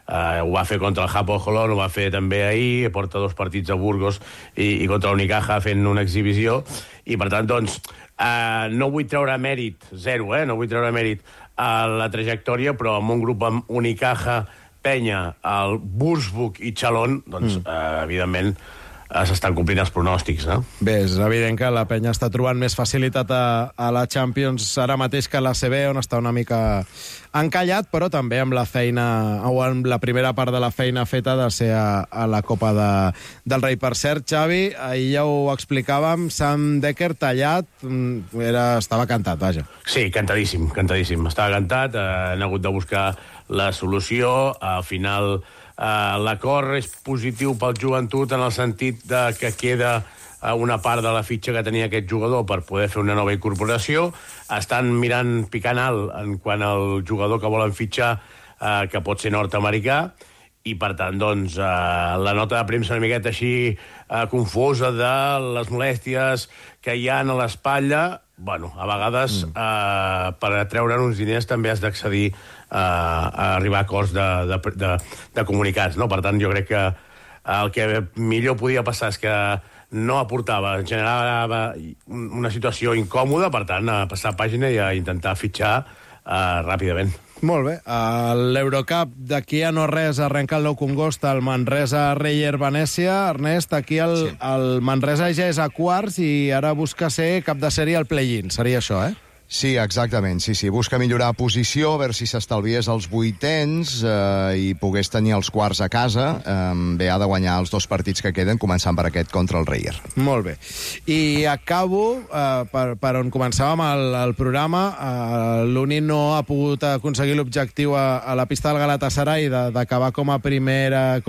ho va fer contra el Hapoel Holon, ho va fer també ahir, porta 2 partits a Burgos i contra l'Unicaja fent una exhibició, i per tant, doncs, no vull treure mèrit, zero, no vull treure mèrit a la trajectòria, però amb un grup amb Unicaja, Penya, el Würzburg i Chalon, doncs, evidentment, s'estan complint els pronòstics, no? Bé, és evident que la Penya està trobant més facilitat a la Champions ara mateix que a la CB, on està una mica encallat, però també amb la feina, o amb la primera part de la feina feta de ser a la Copa del Rei. Per cert, Xavi, ahir ja ho explicàvem, Sam Dekker tallat, estava cantat, vaja. Sí, cantadíssim. Estava cantat, han hagut de buscar la solució, al final l'acord és positiu pel joventut en el sentit que queda una part de la fitxa que tenia aquest jugador per poder fer una nova incorporació. Estan picant alt en quant al jugador que volen fitxar, que pot ser nord-americà, i per tant, doncs, la nota de premsa una miqueta així confosa de les molèsties que hi ha a l'espatlla. Bueno, a vegades per treure'n uns diners també has d'accedir a arribar a acords de comunicats, no? Per tant, jo crec que el que millor podia passar és que no aportava, generava una situació incòmoda, per tant, a passar pàgina i a intentar fitxar ràpidament. Molt bé. L'Eurocup d'aquí a no res arrenca el 9 congost al Manresa Reyer Venècia. Ernest, aquí el Manresa ja és a quarts i ara busca ser cap de sèrie al play-in. Seria això, eh? Sí, exactament, sí. Busca millorar posició, a veure si s'estalviés els vuitens i pogués tenir els quarts a casa. Bé, ha de guanyar els 2 partits que queden, començant per aquest contra el Reyer. Molt bé. I acabo, per on començàvem el programa, l'Uni no ha pogut aconseguir l'objectiu a la pista del Galatasaray d'acabar com a primeres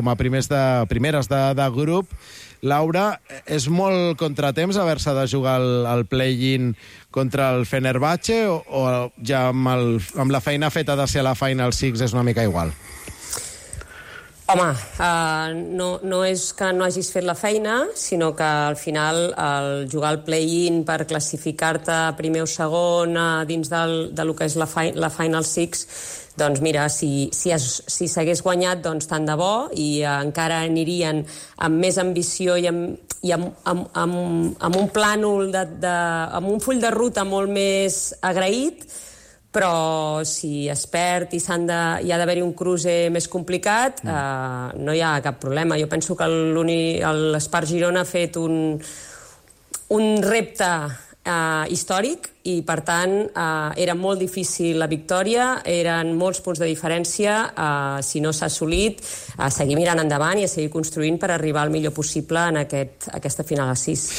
de grup. Laura, és molt contratemps haver-se de jugar el play-in contra el Fenerbahce o ja amb la feina feta de ser a la Final Six és una mica igual? Home, no és que no hagis fet la feina, sinó que al final jugar el play-in per classificar-te primer o segon dins del que és la Final Six, doncs mira, si s'hagués guanyat, doncs tant de bo, i encara anirien amb més ambició i amb un plànol, amb un full de ruta molt més agraït, però si es perd i hi ha d'haver-hi un cruce més complicat, no hi ha cap problema. Jo penso que l'Espart Girona ha fet un repte històric i, per tant, era molt difícil la victòria, eren molts punts de diferència. Si no s'ha assolit, a seguir mirant endavant i a seguir construint per arribar al millor possible en aquesta final a 6.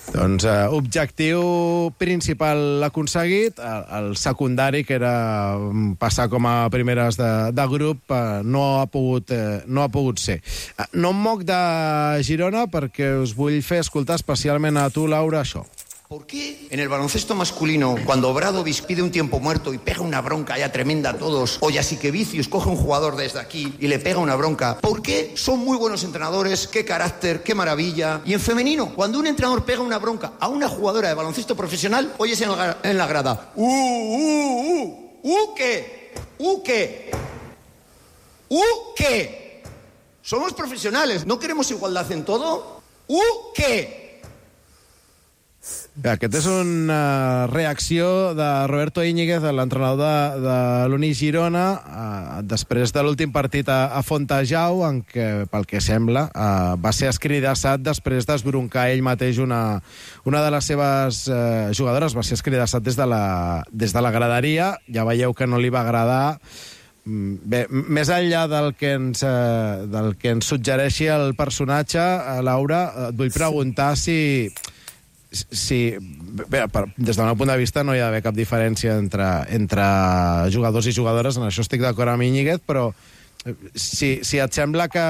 Doncs objectiu principal aconseguit, el secundari, que era passar com a primeres de grup, no ha pogut ser. No em moc de Girona perquè us vull fer escoltar especialment a tu, Laura, això. ¿Por qué en el baloncesto masculino, cuando Obradović pide un tiempo muerto y pega una bronca ya tremenda a todos, o Jasikevičius coge un jugador desde aquí y le pega una bronca, ¿por qué son muy buenos entrenadores? ¿Qué carácter? ¿Qué maravilla? Y en femenino, cuando un entrenador pega una bronca a una jugadora de baloncesto profesional, oyes en la grada, ¿qué? Somos profesionales, ¿no queremos igualdad en todo? ¿Qué? Aquesta és una reacció de Roberto Íñiguez, l'entrenador de l'Uni Girona, després de l'últim partit a Fontejau, en què, pel que sembla, va ser escridassat després d'esbroncar ell mateix una de les seves jugadores, va ser escridassat des de la graderia. Ja veieu que no li va agradar. Bé, més enllà del que ens suggereixi el personatge, Laura, et vull preguntar si bé, des del meu punt de vista no hi ha d'haver cap diferència entre jugadors i jugadores, en això estic d'acord amb Íñiguez, però si et sembla que,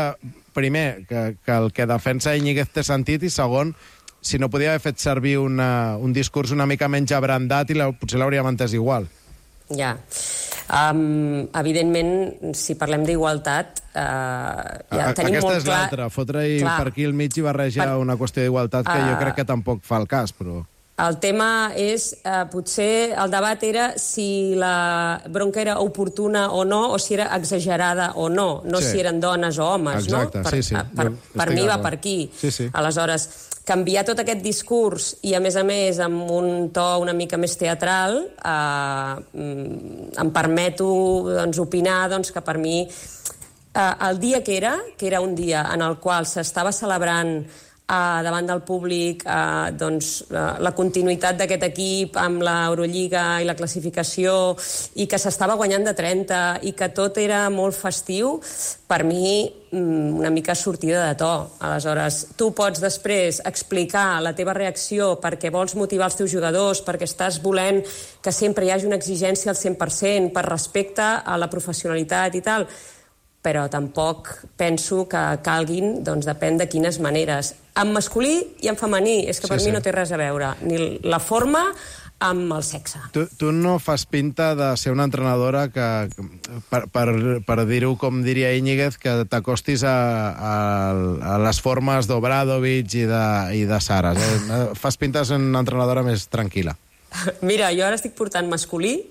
primer, que el que defensa Íñiguez té sentit, i segon, si no podia haver fet servir un discurs una mica menys abrandat i potser l'hauríem entès igual. Ja. Evidentment, si parlem d'igualtat, ja tenim aquesta molt és clar... l'altra, fotre-hi per aquí al mig i barrejar una qüestió d'igualtat que jo crec que tampoc fa el cas, però... El tema és, potser el debat era si la bronca era oportuna o no, o si era exagerada o no, si eren dones o homes. Exacte, no? sí. Per mi va per aquí. Sí. Aleshores, canviar tot aquest discurs i, a més, amb un to una mica més teatral, em permeto opinar que per mi el dia que era un dia en el qual s'estava celebrant davant del públic la continuïtat d'aquest equip amb l'Eurolliga i la classificació, i que s'estava guanyant de 30 i que tot era molt festiu, per mi una mica sortida de to. Aleshores, tu pots després explicar la teva reacció perquè vols motivar els teus jugadors, perquè estàs volent que sempre hi hagi una exigència al 100% per respecte a la professionalitat i tal, però tampoc penso que calguin, depèn de quines maneres. En masculí i en femení, és que per mi no té res a veure, ni la forma amb el sexe. Tu no fas pinta de ser una entrenadora que, per dir-ho com diria Íñiguez, que t'acostis a les formes d'Obradovic i de Saras. Fas pinta de ser una entrenadora més tranquil·la. Mira, jo ara estic portant masculí,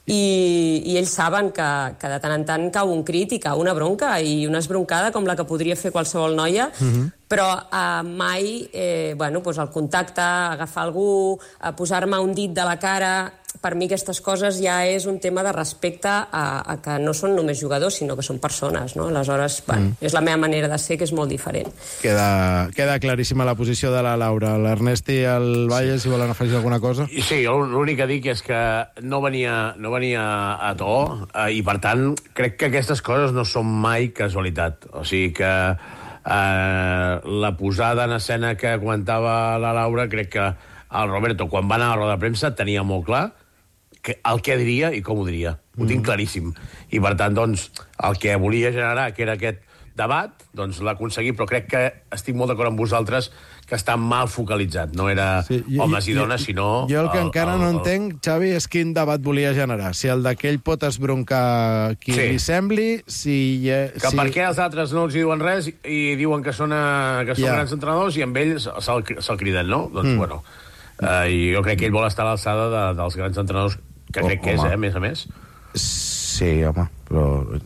i ells saben que de tant en tant cau un crit i cau una bronca i una esbroncada com la que podria fer qualsevol noia, però mai el contacte, agafar algú, posar-me un dit de la cara, per mi aquestes coses ja és un tema de respecte a que no són només jugadors, sinó que són persones, no? Aleshores, és la meva manera de ser, que és molt diferent. Queda claríssima la posició de la Laura. L'Ernest i el Valle, si volen afegir alguna cosa? Sí, l'únic que dic és que no venia a to, i per tant crec que aquestes coses no són mai casualitat. O sigui que la posada en escena que comentava la Laura, crec que el Roberto, quan va anar a la roda de premsa, tenia molt clar el que diria i com ho diria. Ho tinc claríssim. I, per tant, el que volia generar, que era aquest debat, l'ha aconseguit, però crec que estic molt d'acord amb vosaltres que està mal focalitzat. No era homes i dones, sinó... Jo el que encara no entenc, Xavi, és quin debat volia generar. Si el d'aquell pot esbroncar qui li sembli, per què els altres no els diuen res i diuen que són grans entrenadors i amb ells se'l criden, no? I jo crec que ell vol estar a l'alçada dels grans entrenadors, que crec que és, a més. Sí, home, però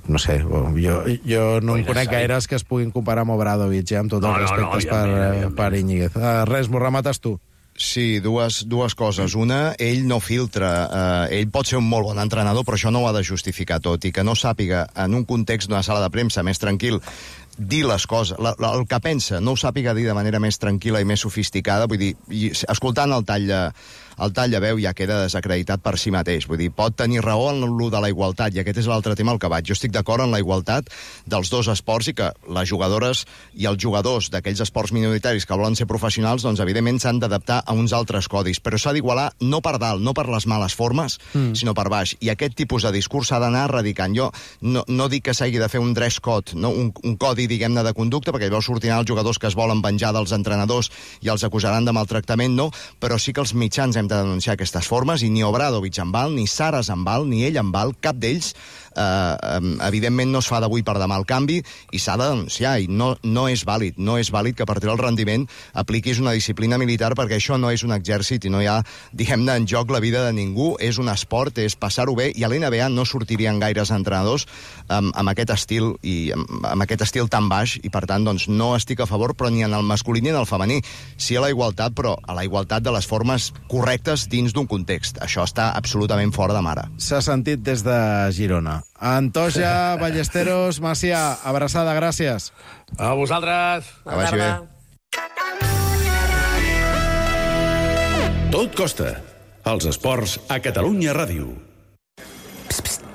no sé, jo no en conec gaires que es puguin comparar amb Obradovic, amb tots els respectes per Íñiguez. Res, m'ho remates tu. Sí, dues coses. Una, ell no filtra. Ell pot ser un molt bon entrenador, però això no ho ha de justificar tot. I que no sàpiga, en un context d'una sala de premsa més tranquil, dir les coses, el que pensa, no ho sàpiga dir de manera més tranquil·la i més sofisticada, vull dir, escoltant el tall de veu ja queda desacreditat per si mateix. Vull dir, pot tenir raó en lo de la igualtat, i aquest és l'altre tema al que vaig. Jo estic d'acord en la igualtat dels dos esports i que les jugadores i els jugadors d'aquells esports minoritaris que volen ser professionals, evidentment s'han d'adaptar a uns altres codis, però s'ha d'igualar no per dalt, no per les males formes, sinó per baix. I aquest tipus de discurs s'ha d'anar erradicant. Jo no dic que s'hagi de fer un dress code, no? un codi, diguem-ne, de conducta, perquè llavors sortiran els jugadors que es volen venjar dels entrenadors i els acusaran de maltractament, no, però sí que els mitjans hem de denunciar aquestes formes, i ni Obradovic en val, ni Saras en val, ni ell en val, cap d'ells. Evidentment no es fa d'avui per demà el canvi i s'ha de denunciar, i no és vàlid que per treure el rendiment apliquis una disciplina militar, perquè això no és un exèrcit i no hi ha, diguem-ne, en joc la vida de ningú. És un esport, és passar-ho bé, i a l'NBA no sortirien gaires entrenadors amb aquest estil i amb aquest estil tan baix, i per tant doncs, no estic a favor, però ni en el masculí ni en el femení. Sí a la igualtat, però a la igualtat de les formes correctes dins d'un context. Això està absolutament fora de mare. S'ha sentit des de Girona. Antoja, Ballesteros, Macià, abraçada, gràcies. A vosaltres. Que vagi bé. Tot costa. Els esports a Catalunya Ràdio.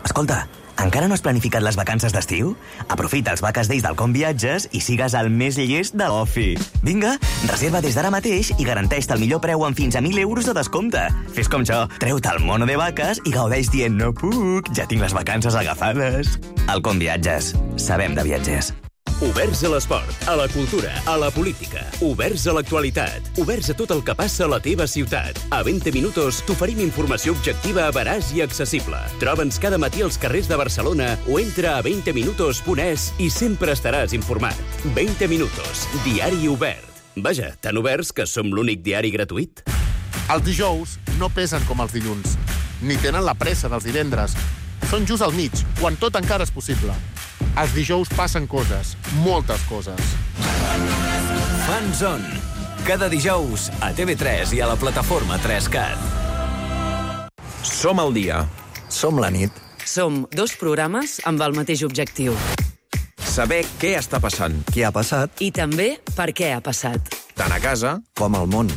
Escolta, encara no has planificat les vacances d'estiu? Aprofita els Vaques Days del Com Viatges i sigues el més llest de l'ofi. Vinga, reserva des d'ara mateix i garanteix-te el millor preu amb fins a 1.000 euros de descompte. Fes com jo, treu-te el mono de vaques i gaudeix dient no puc, ja tinc les vacances agafades. El Com Viatges. Sabem de viatgers. Oberts a l'esport, a la cultura, a la política. Oberts a l'actualitat. Oberts a tot el que passa a la teva ciutat. A 20 minuts t'oferim informació objectiva, veraç i accessible. Troba'ns cada matí als carrers de Barcelona o entra a 20minutos.es i sempre estaràs informat. 20 minutos, diari obert. Vaja, tan oberts que som l'únic diari gratuït. Els dijous no pesen com els dilluns, ni tenen la pressa dels divendres. Són just al mig, quan tot encara és possible. Els dijous passen coses, moltes coses. Fanzone. Cada dijous a TV3 i a la plataforma 3CAT. Som al dia. Som la nit. Som dos programes amb el mateix objectiu. Saber què està passant. Què ha passat? I també per què ha passat. Tant a casa com al món.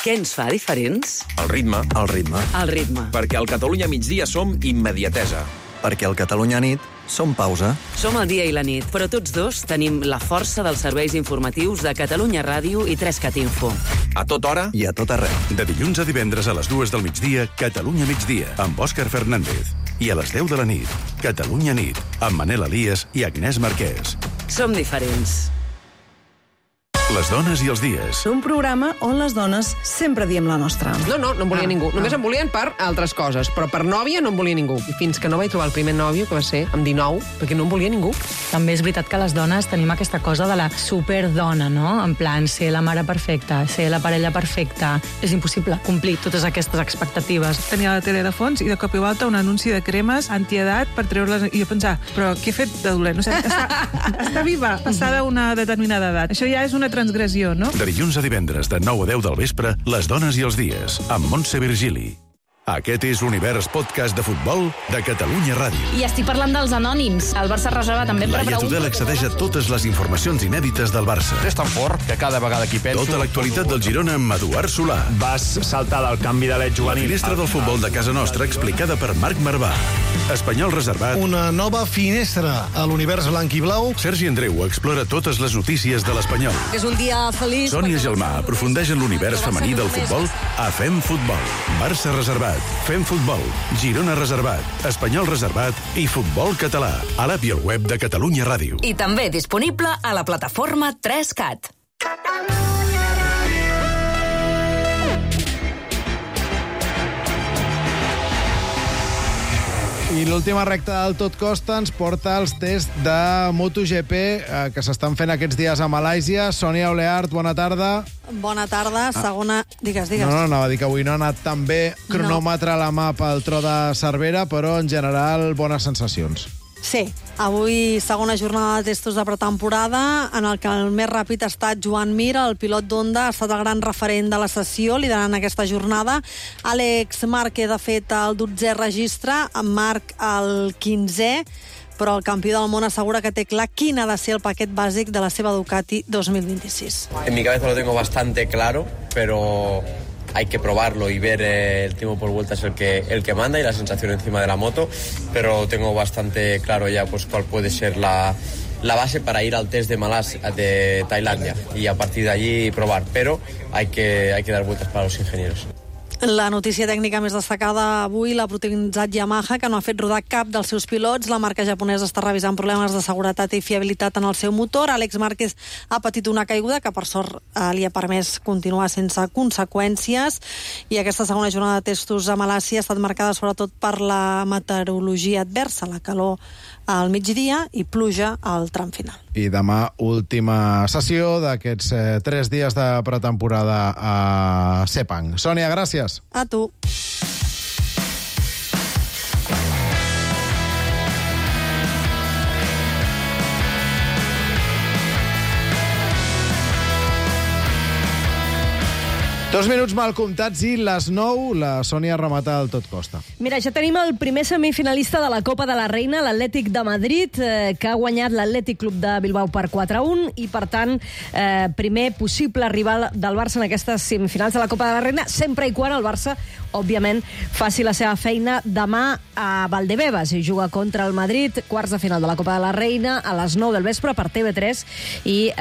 Què ens fa diferents? El ritme. El ritme. El ritme. Perquè al Catalunya migdia som immediatesa. Perquè al Catalunya nit som pausa. Som el dia i la nit, però tots dos tenim la força dels serveis informatius de Catalunya Ràdio i 3CAT Info. A tota hora i a tot arreu. De dilluns a divendres a les 2 del migdia, Catalunya migdia, amb Òscar Fernández. I a les 10 de la nit, Catalunya nit, amb Manel Elias i Agnès Marquès. Som diferents. Les dones i els dies. Un programa on les dones sempre diem la nostra. No em volia ningú. Només em volien per altres coses, però per nòvia no em volia ningú. I fins que no vaig trobar el primer nòvio, que va ser amb 19, perquè no em volia ningú. També és veritat que les dones tenim aquesta cosa de la superdona, no? En plan, ser la mare perfecta, ser la parella perfecta. És impossible complir totes aquestes expectatives. Tenia la tele de fons i de cop i volta un anunci de cremes antiedat per treure-les... I jo pensar, però què he fet de dolent? O sigui, està viva, passada una determinada edat. Això ja és una transgressió, no? De dilluns a divendres, de 9 a 10 del vespre, Les dones i els dies, amb Montse Virgili. Aquest és l'Univers Podcast de Futbol de Catalunya Ràdio. I estic parlant dels anònims. El Barça reserva també per Laia Tudel accedeix a totes les informacions inèdites del Barça. És tan fort que cada vegada que hi penso... Tota l'actualitat del Girona amb Eduard Solà. Vas saltar del canvi de l'et juvenil. La finestra del futbol de casa nostra explicada per Marc Marvà. Espanyol reservat. Una nova finestra a l'univers blanc i blau. Sergi Andreu explora totes les notícies de l'Espanyol. És un dia feliç. Sònia Gelmà aprofundeix en l'univers femení del futbol a Fem Futbol. Barça reservat. Fem Futbol, Girona reservat, Espanyol reservat i Futbol català. A l'app i al web de Catalunya Ràdio. I també disponible a la plataforma 3CAT. I l'última recta del Tot Costa ens porta als tests de MotoGP que s'estan fent aquests dies a Malàisia. Sònia Oleart, bona tarda. Bona tarda, segona... Digues. No, anava a dir que avui no ha anat tan bé. Cronòmetre a la mà pel tro de Cervera, però en general bones sensacions. Sí, avui segona jornada de testos de pretemporada en el que el més ràpid ha estat Joan Mir, el pilot d'Honda, ha estat el gran referent de la sessió, liderant aquesta jornada. Àlex Márquez ha fet el 12è registre, en Marc el 15è, però el campió del món assegura que té clar quin ha de ser el paquet bàsic de la seva Ducati 2026. En mi cabeza lo tengo bastante claro, pero hay que probarlo y ver el tiempo por vuelta es el que manda y la sensación encima de la moto, pero tengo bastante claro ya pues cuál puede ser la base para ir al test de Tailandia y a partir de allí probar, pero hay que dar vueltas para los ingenieros. La notícia tècnica més destacada avui l'ha protagonitzat Yamaha, que no ha fet rodar cap dels seus pilots. La marca japonesa està revisant problemes de seguretat i fiabilitat en el seu motor. Àlex Márquez ha patit una caiguda que, per sort, li ha permès continuar sense conseqüències. I aquesta segona jornada de testos a Malàisia ha estat marcada sobretot per la meteorologia adversa, la calor al migdia i pluja al tram final. I demà, última sessió d'aquests 3 dies de pretemporada a Sepang. Sònia, gràcies. A tu. Dos minuts mal comptats i les 9, la Sònia remata el tot costa. Mira, ja tenim el primer semifinalista de la Copa de la Reina, l'Atlètic de Madrid, que ha guanyat l'Atlètic Club de Bilbao per 4-1 i, per tant, primer possible rival del Barça en aquestes semifinals de la Copa de la Reina, sempre i quan el Barça, òbviament, faci la seva feina demà a Valdebebas i juga contra el Madrid, quarts de final de la Copa de la Reina, a les 9 del vespre per TV3 i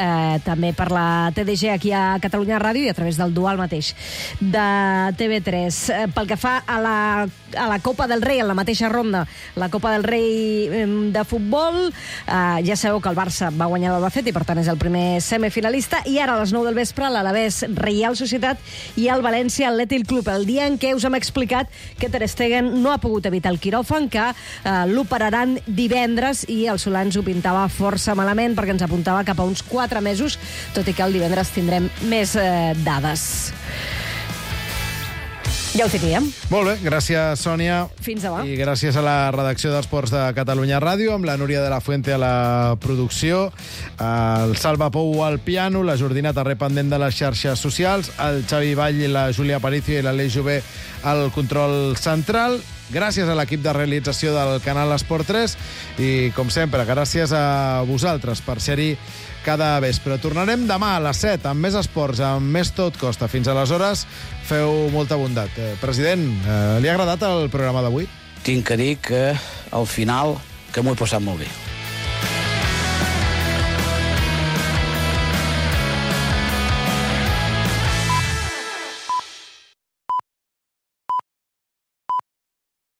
també per la TDG aquí a Catalunya Ràdio i a través del Dual mateix de TV3. Pel que fa a la Copa del Rei, en la mateixa ronda, la Copa del Rei de futbol, ja sabeu que el Barça va guanyar l'Albacete i per tant és el primer semifinalista, i ara a les 9 del vespre l'Alavés Reial Societat i el València Atlètic Club, el dia en què us hem explicat que Ter Stegen no ha pogut evitar el quiròfan, que l'operaran divendres, i el Solà ens ho pintava força malament perquè ens apuntava cap a uns 4 mesos, tot i que el divendres tindrem més dades. Ja ho teníem. Molt bé, gràcies, Sònia. Fins demà. I gràcies a la redacció d'Esports de Catalunya Ràdio, amb la Núria de la Fuente a la producció, el Salva Pou al piano, la Jordina Tarré pendent de les xarxes socials, el Xavi Vall i la Júlia Aparicio i l'Aleix Jové al control central. Gràcies a l'equip de realització del canal Esport 3 i, com sempre, gràcies a vosaltres per ser-hi cada vespre. Tornarem demà a les 7 amb més esports, amb més tot costa. Fins aleshores, feu molta bondat. President, li ha agradat el programa d'avui? Tinc que dir que al final que m'ho he passat molt bé.